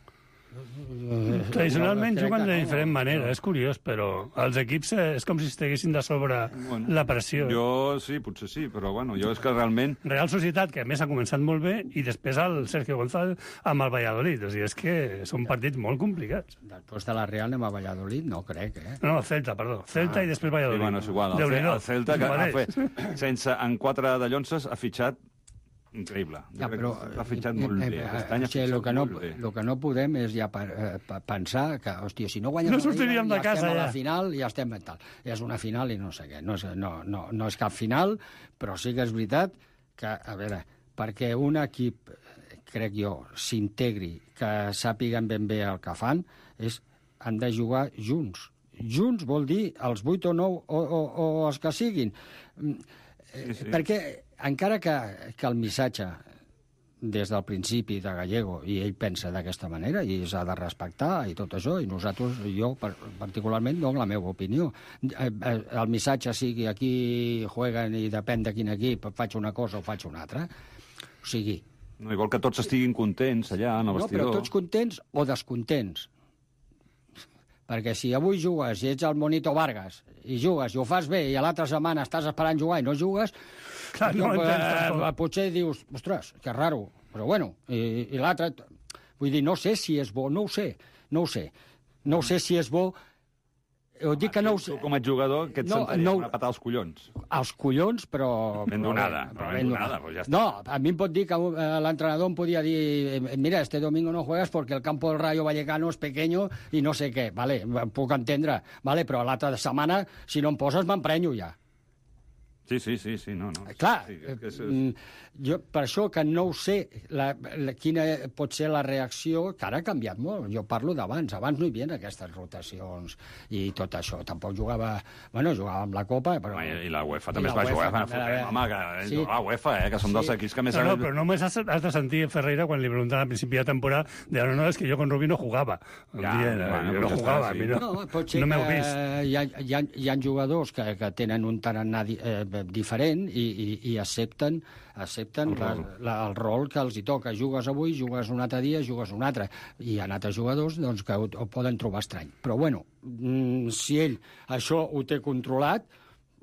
Tradicionalment juguen de diferent manera, és curiós, però els equips és com si estiguessin de sobre la pressió. Jo sí, potser sí, però bueno, jo és que realment... Real Societat, que a més ha començat molt bé, i després el Sergio González amb el Valladolid. O sigui, és que són partits molt complicats. Després de la Real anem a Valladolid? No crec, No, Celta, perdó. Celta i després Valladolid. Sí, bueno, és igual. El Celta, que ha fet, en 4 de llonces, ha fitxat increïble. Però ha fitxat molt bé. El que no podem és ja pensar que, hòstia, si no guanyem no sortiríem de casa, estem a la final, ja estem tal. És una final i no sé què. No és cap final, però sí que és veritat que, a veure, perquè un equip, crec jo, s'integri, que sàpiguen ben bé el que fan, han de jugar junts. Junts vol dir els 8 o 9 o els que siguin. Perquè encara que el missatge des del principi de Gallego, i ell pensa d'aquesta manera, i s'ha de respectar i tot això, i nosaltres, jo particularment, dono la meva opinió. El missatge sigui aquí jueguen i depèn de quin equip faig una cosa o faig una altra. O sigui... No, igual que tots estiguin contents allà, en el vestidor. No, però tots contents o descontents. Perquè si avui jugues i ets el Monito Vargas i jugues i ho fas bé i a l'altra setmana estàs esperant jugar i no jugues, clar, potser dius, ostres, que raro, però bueno, i l'altre... Vull dir, no sé si és bo, no ho sé. No sé si és bo. Ho dic que no ho sé. Tu com a jugador, què et sentaries? Una patada als collons? Als collons, però... Ben donada. Pues ja està. No, a mi em pot dir que l'entrenador em podia dir mira, este domingo no juegas porque el campo del Rayo Vallecano es pequeño i no sé què. Vale, puc entendre. Vale, però l'altra setmana, si no em poses, m'emprenyo ja. Sí, no. Clar, sí, jo per això que no ho sé quina pot ser la reacció, que ara ha canviat molt. Jo parlo d'abans. Abans no hi havia aquestes rotacions i tot això. Tampoc jugava... Bueno, jugava amb la Copa, però... I la UEFA també es va jugar. Home, que la UEFA, que som dels equips que més... No, però només has de sentir Ferreira quan li preguntaven al principi de temporada, no, és que jo con Rubí no jugava. No jugava, no m'heu vist. Hi ha jugadors que tenen un tarannà diferent i accepten el rol que els hi toca. Jugues avui, jugues un altre dia, jugues un altre. I hi ha altres jugadors doncs, que ho poden trobar estrany. Però, bueno, si ell això ho té controlat,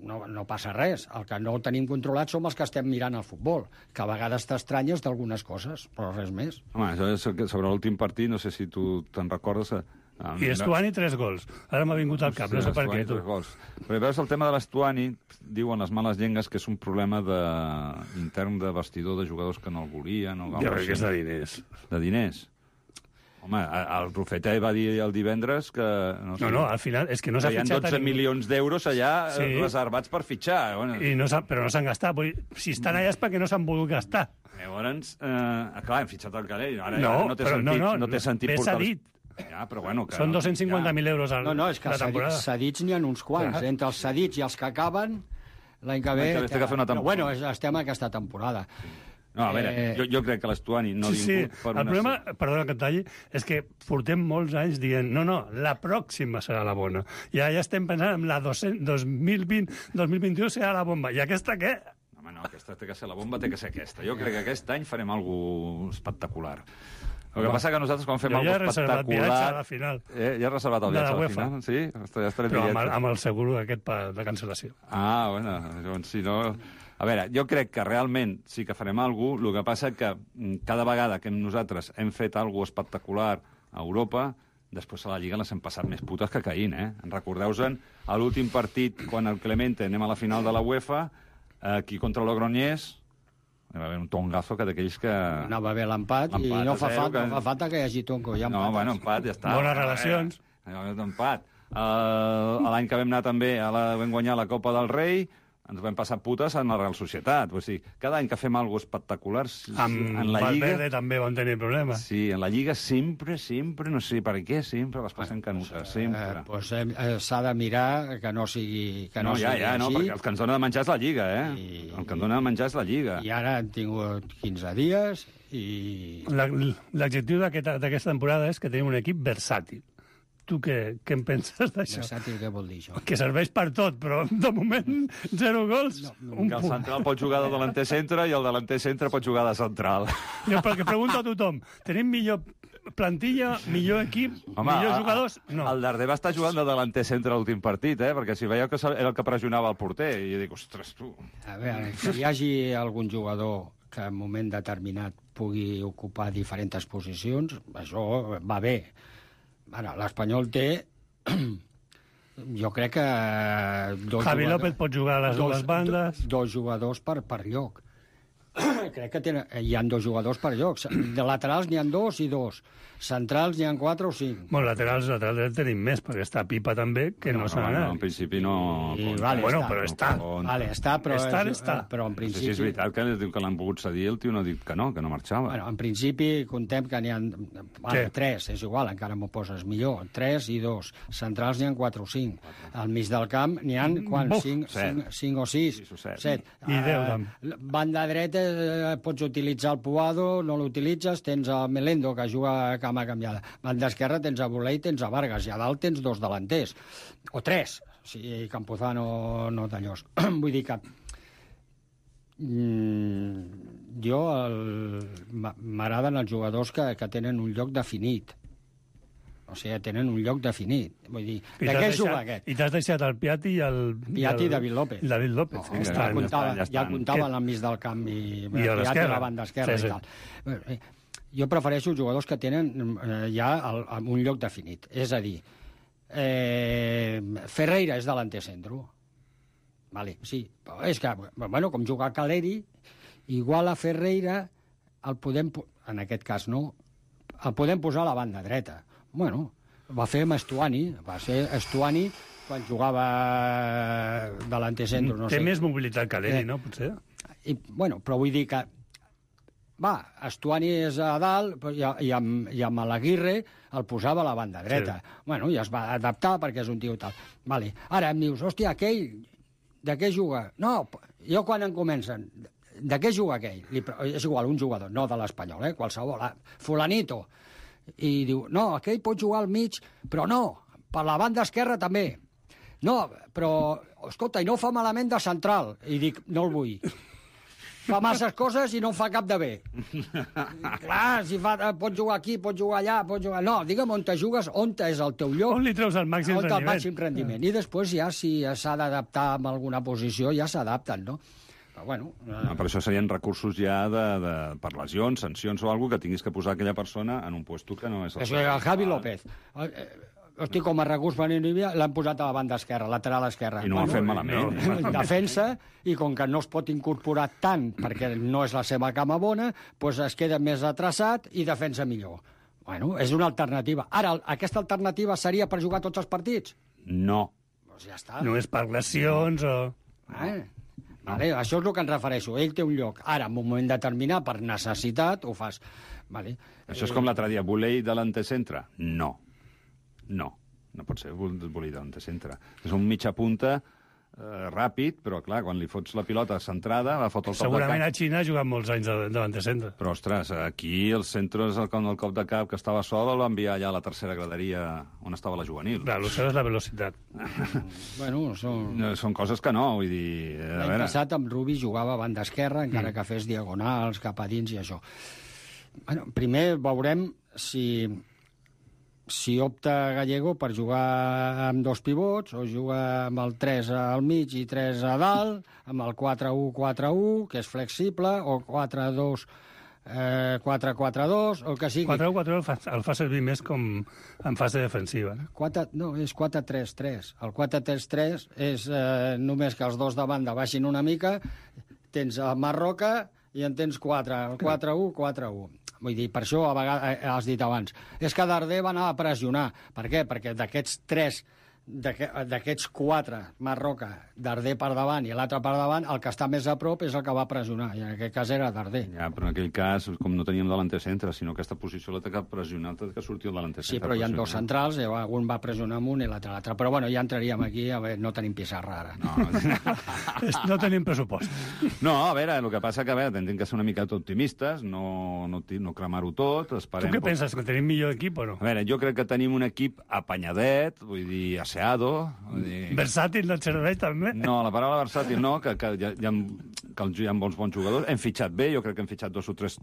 no passa res. El que no tenim controlat som els que estem mirant el futbol, que a vegades t'estranyes d'algunes coses, però res més. Home, sobre l'últim partit, no sé si tu te'n recordes... I Estuani 3 gols. Ara m'ha vingut al cap, no sé per què, tu. Però veus el tema de l'Estuani, diuen les males llengues que és un problema intern de vestidor de jugadors que no el volien. Jo crec que és de diners. De diners? Home, el Rufete va dir el divendres que... No, al final és que no s'ha fitxat... Hi ha 12 milions d'euros allà reservats per fitxar. Però no s'han gastat. Si estan allà és perquè no s'han volgut gastar. Llavors, clar, hem fitxat el Calell. Ara no té sentit portar... Ja, però bueno... Són 250.000 euros a la temporada. No, és que cedits n'hi ha uns quants. Entre els cedits i els que acaben, l'any que ve... Però bueno, estem a aquesta temporada. No, a veure, jo crec que l'Estuani no ha vingut per una... El problema, perdona que et talli, és que portem molts anys dient no, la pròxima serà la bona. Ja estem pensant en la 2020-2021 serà la bomba. I aquesta què? Home, no, aquesta té que ser la bomba, té que ser aquesta. Jo crec que aquest any farem alguna cosa espectacular. El que passa que nosaltres quan fem alguna cosa espectacular... Ja he reservat el viatge a la final. Sí? Però amb el seguro aquest de cancel·lació. Bueno, llavors si no... A veure, jo crec que realment sí que farem alguna cosa, el que passa que cada vegada que nosaltres hem fet alguna cosa espectacular a Europa, després a la Lliga les hem passat més putes que caïn, eh? Recordeu-se'n a l'últim partit, quan el Clemente anem a la final de la UEFA, aquí contra el Logroñés, hi va haver un tongazo que d'aquells que... Anava bé l'empat i no fa falta que hi hagi tonco. No, bueno, empat, ja està. Bones relacions. Empat. L'any que vam anar també, vam guanyar la Copa del Rei, ens vam passar putes en la Real Societat. O sigui, cada any que fem alguna cosa espectacular... en la Lliga... Valverde també van tenir problemes. Sí, en la Lliga sempre, no sé per què, sempre les passem canutes, sempre. S'ha de mirar que no sigui així. No, perquè el que ens dona de menjar és la Lliga, eh? El que ens dona de menjar és la Lliga. I ara han tingut 15 dies i... L'adjectiu d'aquesta temporada és que tenim un equip versàtil. tu què en penses d'això? Versàtil, què vol dir això? Que serveix per tot, però de moment 0 gols, un Que el punt. central pot jugar de delanter centre i el delanter centre pot jugar de central. Jo perquè pregunto a tothom, tenim millor plantilla, millor equip, millors jugadors? No. El Darder va estar jugant de delanter centre a l'últim partit, perquè si veieu que era el que pressionava el porter, i jo dic, ostres, tu... A veure, que hi hagi algun jugador que en un moment determinat pugui ocupar diferents posicions, això va bé. Bueno, l'Espanyol té... Jo crec que... Javi López pot jugar a les bandes. Dos jugadors per lloc. Crec que hi ha 2 jugadors per lloc. De laterals n'hi ha 2 i 2. Centrals n'hi ha 4 o 5. Bueno, laterals tenim més, perquè està Pipa també, que no s'ha anat. En principi no... Vale, bueno, però està. Vale, està, però... Està. Però en No sé principi... si és veritat que diu que l'han pogut cedir, el tio no ha dit que no marxava. Bueno, en principi contem que n'hi ha... Vale, 3, és igual, encara m'ho poses millor. 3 i 2. Centrals n'hi ha 4 o 5. Al mig del camp n'hi ha, quants? 5 o 6. 7. I 10, banda dreta pots utilitzar el Puado, no l'utilitzes, tens el Melendo, que juga a cama canviada. Banda esquerra tens a Bolé i tens a Vargas, i a dalt tens 2 delanters. O 3, si Campuzano no d'allòs. Vull dir que... Jo m'agraden els jugadors que tenen un lloc definit. O sigui, tenen un lloc definit. Vull dir, de què juga aquest? I t'has deixat el Piatti i el... Piatti i David López. David López. Ja comptava al mig del camp i Piatti a la banda esquerra i tal. Jo prefereixo jugadors que tenen ja un lloc definit. És a dir, Ferreira és delanter centro. Vale, sí. Però és que, bueno, com juga Caleri, igual a Ferreira el podem... En aquest cas no. El podem posar a la banda dreta. Bueno, va fer amb Estuani. Va ser Estuani quan jugava delanter centro. No Té sé. més mobilitat que l'Eri, no? Potser. Bueno, però vull dir que... Va, Estuani és a dalt i amb l'Aguirre el posava a la banda dreta. Sí. Bueno, i es va adaptar perquè és un tio tal. Vale. Ara em dius, hòstia, aquell, de què juga? No, jo quan em comencen, de què juga aquell? És igual, un jugador, no de l'Espanyol, qualsevol. Fulanito. I diu, no, aquell pot jugar al mig, però no, per la banda esquerra també. No, però, escolta, i no fa malament de central. I dic, no el vull. Fa masses coses i no fa cap de bé. Clar, si pot jugar aquí, pot jugar allà, pot jugar... No, digue'm on te jugues, on és el teu lloc. On li treus el màxim rendiment. El màxim rendiment. I després ja, si s'ha d'adaptar a alguna posició, ja s'adapten, no? Però, bueno... Per això serien recursos ja per lesions, sancions o alguna que tinguis que posar aquella persona en un puesto que no és... El Javi López. Hosti, com a recurs per Nivea, l'han posat a la banda esquerra, lateral esquerra. I no ho han fet malament. Defensa, i com que no es pot incorporar tant, perquè no és la seva cama bona, doncs es queda més atrasat i defensa millor. Bueno, és una alternativa. Ara, aquesta alternativa seria per jugar tots els partits? No. Doncs ja està. No és per lesions o... Vale, això és el que em refereixo. Ell té un lloc. Ara, en un moment determinat, per necessitat, ho fas. Vale. Això és com l'altre dia. Volei delanter centre? No. No pot ser Volei delanter centre. És un mitja punta ràpid, però clar, quan li fots la pilota centrada, va fotre el cop de cap. Segurament a Xina ha jugat molts anys de delanter centre. Però, ostres, aquí el centre és el cop de cap que estava sol, el va enviar allà a la tercera graderia on estava la juvenil. Clar, el seu és la velocitat. Bueno, són coses que no, vull dir... L'any passat amb Rubi jugava a banda esquerra, encara que fes diagonals cap a dins i això. Bueno, primer veurem si opta Gallego per jugar amb 2 pivots, o juga amb el 3 al mig i 3 a dalt, amb el 4-1-4-1, que és flexible, o 4-2... 4-4-2, o el que sigui. 4-1-4-1 el fa servir més com en fase defensiva. No, és 4-3-3. El 4-3-3 és només que els dos de banda baixin una mica, tens el Marroca i en tens 4, el 4-1-4-1. Vull dir, per això a vegades has dit abans, és que Darder va anar a pressionar. Per què? Perquè d'aquests 3 d'aquests 4, Marroca, Darder per davant i l'altre per davant, el que està més a prop és el que va pressionar, i en aquest cas era Darder. Ja, però en aquell cas, com no teníem delanter centre, sinó aquesta posició l'ha de pressionar, que sortir el delanter centre. Sí, però hi ha 2 centrals, un va pressionar amb un i l'altre. Però bueno, ja entraríem aquí, a veure, no tenim pissarra ara. No tenim pressupost. No, a veure, el que passa que, a veure, hem de ser una mica optimistes, no cremar-ho tot, esperem... Tu què penses, que tenim millor equip o no? A veure, jo crec que tenim un equip apanyadet, vull dir, asseado... Versàtil no et serveix, també? No, la paraula versàtil no, que hi ha bons jugadors. Hem fitxat bé, jo crec que hem fitxat 2 o 3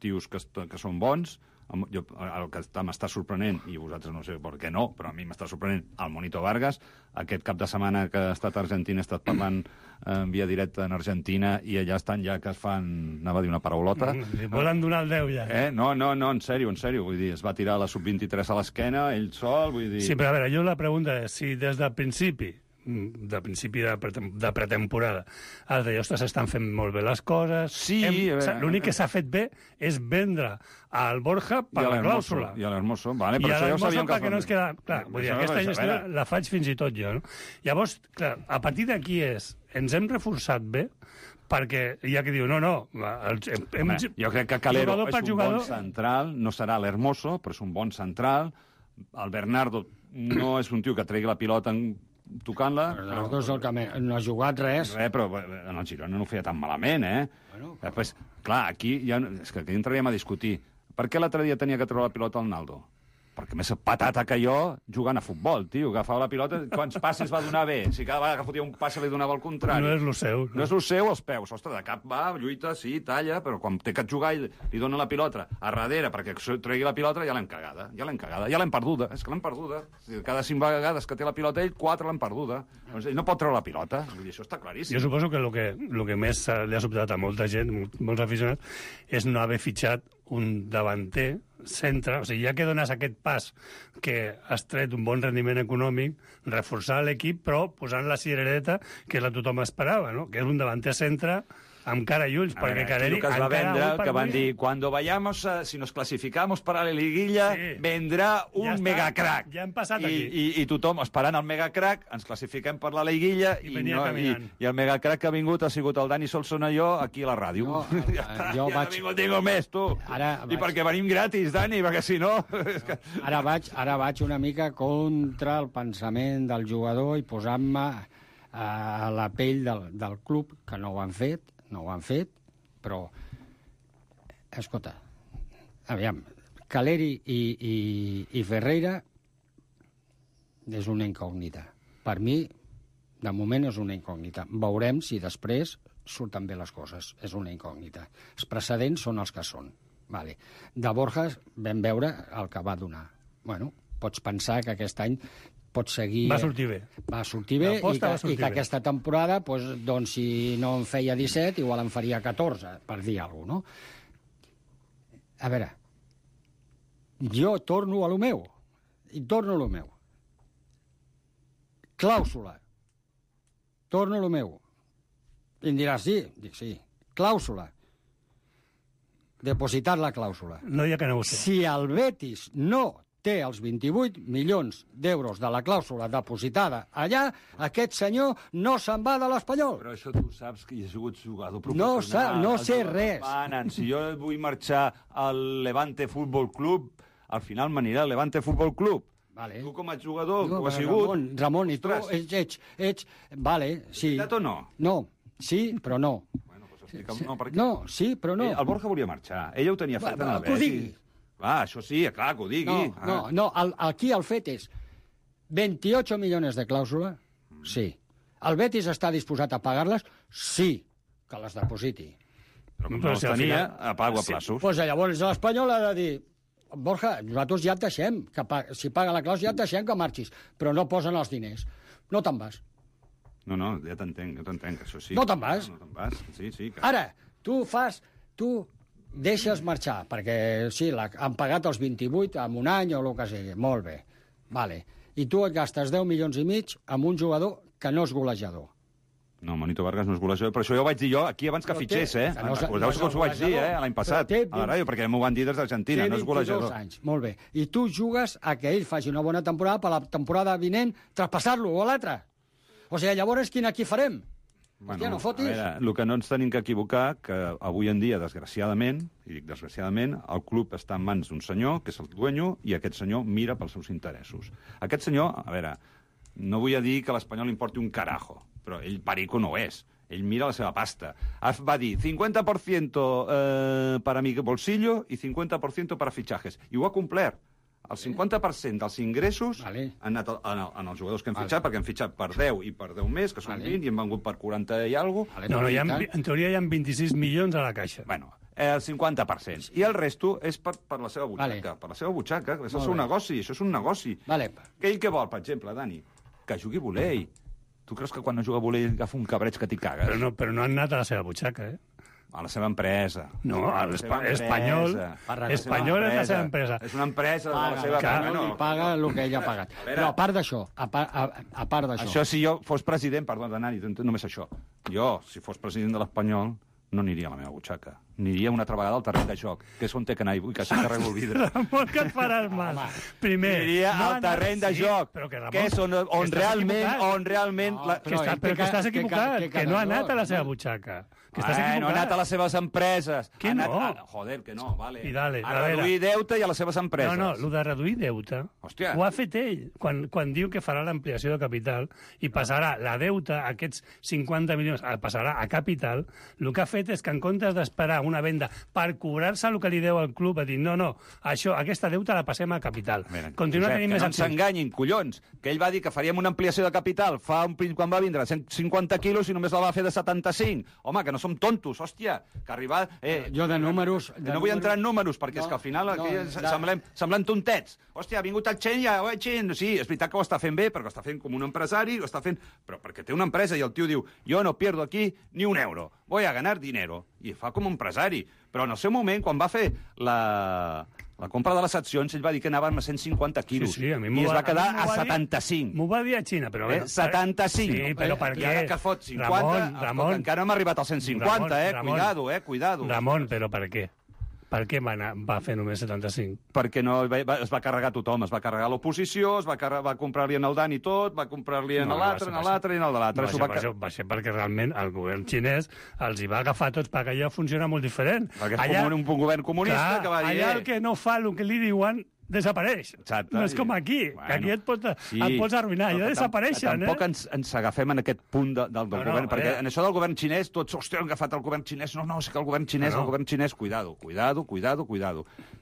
tios que són bons. El que m'està sorprenent, i vosaltres no sé per què no, però a mi m'està sorprenent el Monito Vargas. Aquest cap de setmana que ha estat a Argentina, he estat parlant en via directa en Argentina, i allà estan ja que es fan, anava a dir una paraulota. Li volen donar el 10 ja. No, en sèrio, vull dir, es va tirar la sub-23 a l'esquena, ell sol, vull dir... Sí, però a veure, jo la pregunta és, si des del principi de pretemporada has de dir, ostres, estan fent molt bé les coses... Sí, l'únic que s'ha fet bé és vendre al Borja per la clàusula. I a l'Hermoso, vale, però això ja ho sabíem perquè no es queda... Clar, vull dir, aquesta gestió la faig fins i tot jo, no? Llavors, clar, a partir d'aquí ens hem reforçat bé, perquè hi ha que diu, jo crec que Calero és un bon central, no serà l'Hermoso, però és un bon central. El Bernardo no és un tio que tregui la pilota tocant-la. Bernardo és el que no ha jugat res. Però en el Girona no ho feia tan malament, Després, clar, aquí és que aquí entraríem a discutir. Per què l'altre dia tenia que treure la pilota al Naldo? Perquè més patata que jo jugant a futbol, tio. Agafava la pilota, quants passes va donar bé? Si cada vegada que fotia un passe li donava el contrari. No és lo seu. No és lo seu, els peus. Ostres, de cap va, lluita, sí, talla, però quan té que jugar i li dona la pilota a darrere perquè tregui la pilota, ja l'hem cagada. Ja l'hem perduda. És que l'hem perduda. Cada 5 vegades que té la pilota ell, 4 l'han perduda. Ell no pot treure la pilota. Vull dir, això està claríssim. Jo suposo que el que més li ha sobtat a molta gent, molts aficionats, és no haver fitxat un davanter centre, o sigui, ja que dones aquest pas que has tret un bon rendiment econòmic, reforçar l'equip, però posant la cirereta que tothom esperava, no? Que és un davanter centre amb cara i ulls, perquè Caleri... que es va vendre, que van dir, cuando vayamos, si nos clasificamos para la liguilla, vendrà un megacrack. Ja hem passat aquí. I tothom esperant el megacrack, ens classifiquem per la liguilla, i el megacrack que ha vingut ha sigut el Dani Solsona i jo aquí a la ràdio. Ja ha vingut ningú més, tu. I perquè venim gratis, Dani, perquè si no... Ara vaig una mica contra el pensament del jugador i posant-me a la pell del club, que no ho han fet, però... Escolta, aviam, Caleri i Ferreira és una incògnita. Per mi, de moment, és una incògnita. Veurem si després surten bé les coses. És una incògnita. Els precedents són els que són. Vale. De Borja vam veure el que va donar. Bueno, pots pensar que aquest any pot seguir... Va sortir bé. Va sortir bé i que aquesta temporada, doncs, si no en feia 17, igual en faria 14, per dir alguna cosa, no? A veure, jo torno a lo meu. Clàusula. Torno a lo meu. I em diràs, sí? Dic, sí. Clàusula. Depositar la clàusula. No hi ha que negociar. Si el Betis no té els 28 milions d'euros de la clàusula depositada allà, aquest senyor no se'n va de l'Espanyol. Però això tu saps que hi ha sigut jugador professional. No sé res. Si jo vull marxar al Levante Futbol Club, al final m'anirà al Levante Futbol Club. Vale. Tu com a jugador ho has sigut. Ramon, i tu ets... Vale, sí. Veritat o no? No, sí, però no. Bueno, doncs explica'm per què. No, sí, però no. El Borja volia marxar. Ella ho tenia fet en el Betis. Això sí, clar, que ho digui. No, aquí el fet és 28 milions de clàusula, sí. El Betis està disposat a pagar-les? Sí, que les depositi. Però com no les tenia, pago a plaços. Doncs llavors l'Espanyol ha de dir, Borja, nosaltres ja et deixem, si paga la clàusula ja et deixem que marxis, però no posen els diners. No te'n vas. No, ja t'entenc, això sí. No te'n vas. No te'n vas, sí. Ara, tu deixes marxar, perquè sí, han pagat els 28 en un any o el que sigui, molt bé, vale. I tu et gastes 10 milions i mig amb un jugador que no és golejador. No, Manito Vargas no és golejador, però això ja ho vaig dir jo aquí abans que fitxés, Recordeu-vos que us ho vaig dir, l'any passat, a la ràdio, perquè m'ho van dir des d'Argentina, no és golejador. Té 22 anys, molt bé. I tu jugues a que ell faci una bona temporada per la temporada vinent traspassar-lo o l'altre. O sigui, llavors quin equip farem? Hòstia, no fotis. A veure, el que no ens tenim que equivocar, que avui en dia, desgraciadament, i dic desgraciadament, el club està en mans d'un senyor, que és el dueño, i aquest senyor mira pels seus interessos. Aquest senyor, a veure, no vull dir que a l'Espanyol li importi un carajo, però ell perico no és. Ell mira la seva pasta. Va dir 50% para mi bolsillo i 50% para fichajes. I ho ha complert. El 50% dels ingressos han anat en els jugadors que hem fitxat, perquè hem fitxat per 10 i per 10 més, que són 20, i hem vengut per 40 i alguna cosa. No, en teoria hi ha 26 milions a la caixa. Bueno, el 50%. I el resto és per la seva butxaca. Per la seva butxaca. És el seu negoci. Això és un negoci. Que ell què vol, per exemple, Dani? Que jugui volei. Tu creus que quan no juga volei agafa un cabreig que t'hi cagues? Però no han anat a la seva butxaca, A la seva empresa. No, a l'Espanyol. Espanyol és la seva empresa. És una empresa de la seva empresa. I paga el que ell ha pagat. Però a part d'això, Això, si jo fos president, perdó, Dani, només això. Jo, si fos president de l'Espanyol, no aniria a la meva butxaca. Aniria una altra vegada al terreny de joc, que és on té que anar, i vull que s'hi carrego el vidre. Ramon, que et faràs mal. Primer... Aniria al terreny de joc, que és on realment... Però que estàs equivocat, que no ha anat a la seva butxaca. No ha anat a les seves empreses. Que no? Joder, que no, vale. A reduir deute i a les seves empreses. No, el de reduir deute ho ha fet ell, quan diu que farà l'ampliació de capital i passarà la deute, aquests 50 milions, passarà a capital. El que ha fet és que en comptes d'esperar una venda per cobrar-se el que li deu al club, ha dit, no, aquesta deuta la passem a capital. Continua tenint més accions. Que no s'enganyin, collons, que ell va dir que faríem una ampliació de capital quan va vindre 150 quilos i només la va fer de 75. Home, que no som tontos, hòstia, que arribar... Jo de números... No vull entrar en números, perquè és que al final semblem tontets. Hòstia, ha vingut el Chen i sí, és veritat que ho està fent bé, perquè ho està fent com un empresari, ho està fent... Però perquè té una empresa i el tio diu, jo no pierdo aquí ni un euro, voy a ganar dinero. I fa com un empresari. Però en el seu moment, quan va fer la compra de les accions, ell va dir que anaven a 150 quilos. Sí, a mi i es va quedar a 75. M'ho va dir a Xina, però... 75. Sí, però per què? I ara que fot 50, Ramon, encara no hem arribat als 150, cuidado. Ramon, però per què? Per què va fer només 75? Perquè es va carregar tothom, es va carregar l'oposició, va comprar-li en el Dani tot, va comprar-li en l'altre i en el de l'altre. Va ser perquè realment el govern xinès els hi va agafar tots, perquè allà funciona molt diferent. Perquè és un govern comunista que va dir... Allà el que no fa el que li diuen desapareix. Exacte. No és com aquí, que aquí et pots arruïnar, ja desapareixen. Tampoc ens agafem en aquest punt del govern, perquè en això del govern xinès, tots, hòstia, han agafat el govern xinès, no, és que el govern xinès, cuidado,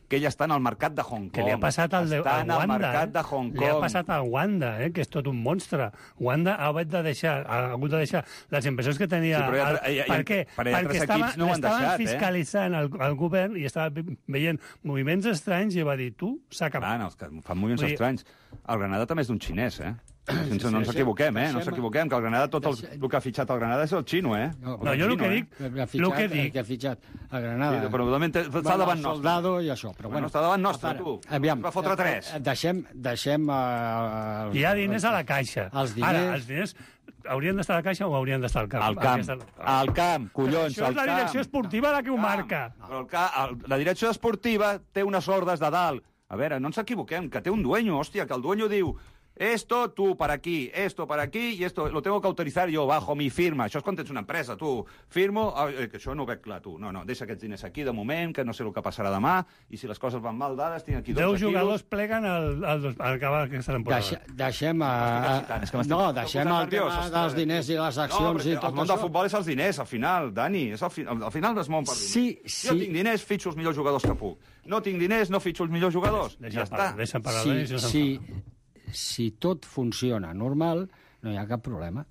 que ell està en el mercat de Hong Kong. Que li ha passat al Wanda. Està en el mercat de Hong Kong. Li ha passat al Wanda, que és tot un monstre. Wanda ha hagut de deixar les inversions que tenia... Per què? Perquè estaven fiscalitzant el govern i estava veient moviments estranys i va dir, tu, s'ha acabat. Els que fan moviments estranys. El Granada també és d'un xinès, no ens equivoquem, no s'equivoquem, que el Granada, tot el que ha fitxat el Granada és el xino, No, jo el que dic... Que ha fitxat el Granada. Però està davant nostre. Soldado i això, però bueno. Està davant nostre, tu. Va fotre 3. Deixem... Hi ha diners a la caixa. Ara, els diners haurien d'estar a la caixa o haurien d'estar al camp? Al camp, collons, Això és la direcció esportiva la que ho marca. La direcció esportiva té unes ordres de dalt. A veure, no ens equivoquem, que té un dueño, hòstia, que el dueño diu esto, tú para aquí, esto para aquí, y esto lo tengo que autorizar yo bajo mi firma. Això és quan tens una empresa, tu firmo, que això no ho veig clar, tu. No, deixa aquests diners aquí de moment, que no sé el que passarà demà, i si les coses van mal dades, tinc aquí 12 quilos. 10 jugadors pleguen al acabar aquesta temporada. Deixem el tema dels diners i les accions i tot això. El món del futbol és els diners, al final, Dani. Al final es mou per diners. Jo tinc diners, fitxo els millors jugadors que puc. No tinc diners, no fitxo els millors jugadors. Ja està. Deixa parlar. Si tot funciona normal, no hi ha cap problema.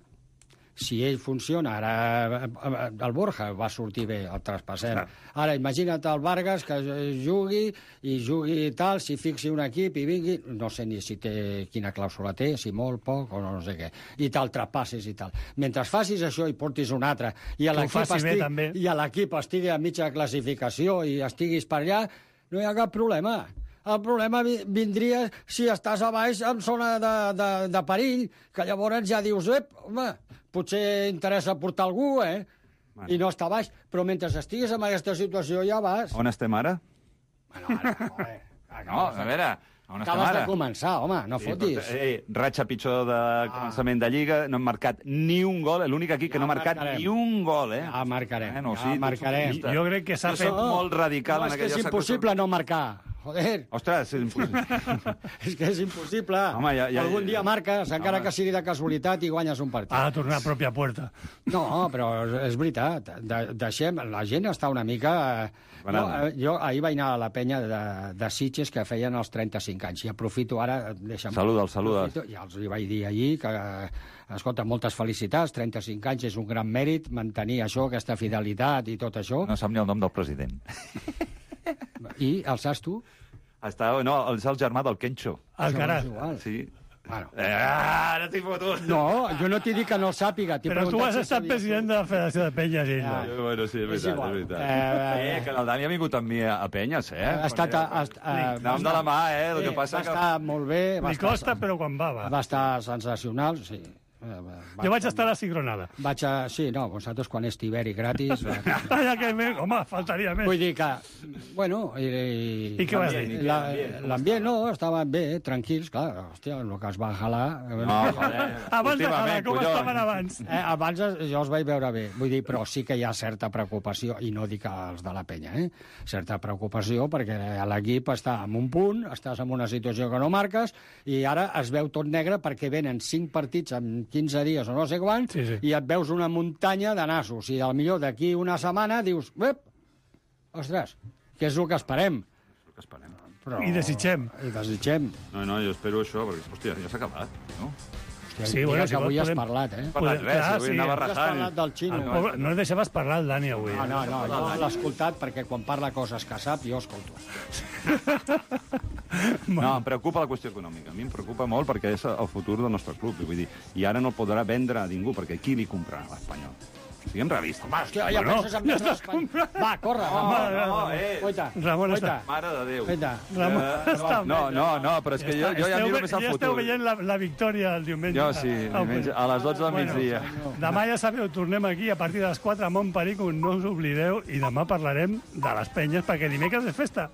Si ell funciona, ara el Borja va sortir bé, el traspassem. Ara, imagina't el Vargas que jugui tal, si fixi un equip i vingui, no sé ni si quina clàusula té, si molt, poc, o no sé què, i te'l traspassis i tal. Mentre facis això i portis un altre, i l'equip estigui a mitja classificació i estiguis per allà, no hi ha cap problema. el problema vindria si estàs a baix en zona de perill, que llavors ja dius, home, potser interessa portar algú, Bueno. I no està baix, però mentre estiguis en aquesta situació ja vas... On estem ara? Bueno, no, a veure, on estem acabes ara? de començar, home, no fotis. Ratxa pitjor de començament de Lliga, no hem marcat ni un gol, l'únic aquí que no ha marcat ni un gol, Ja marcarem, ja marcarem. Jo crec que s'ha fet... molt radical en aquella... És que és impossible no marcar. Joder. Ostres, és impossible. És que és impossible. Home, Algun dia marques, encara que sigui de casualitat, i guanyes un partit. Ha de tornar a pròpia puerta. No, però és veritat. Deixem... La gent està una mica... Jo ahir vaig anar a la penya de Sitges que feien els 35 anys, i aprofito ara... Saluda'ls. Ja els vaig dir ahir que... Escolta, moltes felicitats, 35 anys és un gran mèrit, mantenir això, aquesta fidelitat i tot això. No sap ni el nom del president. I el saps tu? No, és el germà del Kencho. Alcaraz. Sí. Bueno. Ara t'he fotut. No, jo no t'he dit que no el sàpiga. Però tu has estat president de la Federació de Penyes. Bueno, sí, és veritat. Que el Dani ha vingut amb mi a Penyes, Ha estat... Anàvem de la mà, el que passa que... Va estar molt bé. Li costa, però quan va. Va estar sensacional, sí. Jo vaig estar a la cigronada. Sí, no, vosaltres quan és tiberi gratis... Home, faltaria més. Vull dir que, bueno... I què vas dir? L'ambient, no, estaven bé, tranquils, clar, hòstia, el que es va jalar... No, joder. Abans de jalar, com estaven abans? Abans jo els vaig veure bé, vull dir, però sí que hi ha certa preocupació, i no dic els de la penya, certa preocupació, perquè l'equip està en un punt, estàs en una situació que no marques, i ara es veu tot negre perquè venen 5 partits en 15 dies o no sé quants, i et veus una muntanya de nassos, i potser d'aquí una setmana dius, ostres, què és el que esperem? Però... I desitgem. No, jo espero això, perquè, hòstia, ja s'ha acabat, no? Sí, bueno, que avui has parlat, Parlat res, avui anava rajant. Has parlat del xino. No el deixaves parlar el Dani avui. No, jo l'he escoltat perquè quan parla coses que sap, jo escolto. No, em preocupa la qüestió econòmica. A mi em preocupa molt perquè és el futur del nostre club. Vull dir, i ara no el podrà vendre a ningú, perquè qui li comprarà a l'Espanyol? Siguem realistes. Home, hòstia, ja penses en vendre l'Espanyol. Va, corre, Ramon. Ramon està... Mare de Déu. Ramon està... No, però és que jo ja miro més al futur. Ja esteu veient la victòria el diumenge. Jo sí, diumenge, a les 12 del migdia. Demà ja sabeu, tornem aquí a partir de les 4 a Montperic, no us oblideu, i demà parlarem de les penyes, perquè dimecres és festa.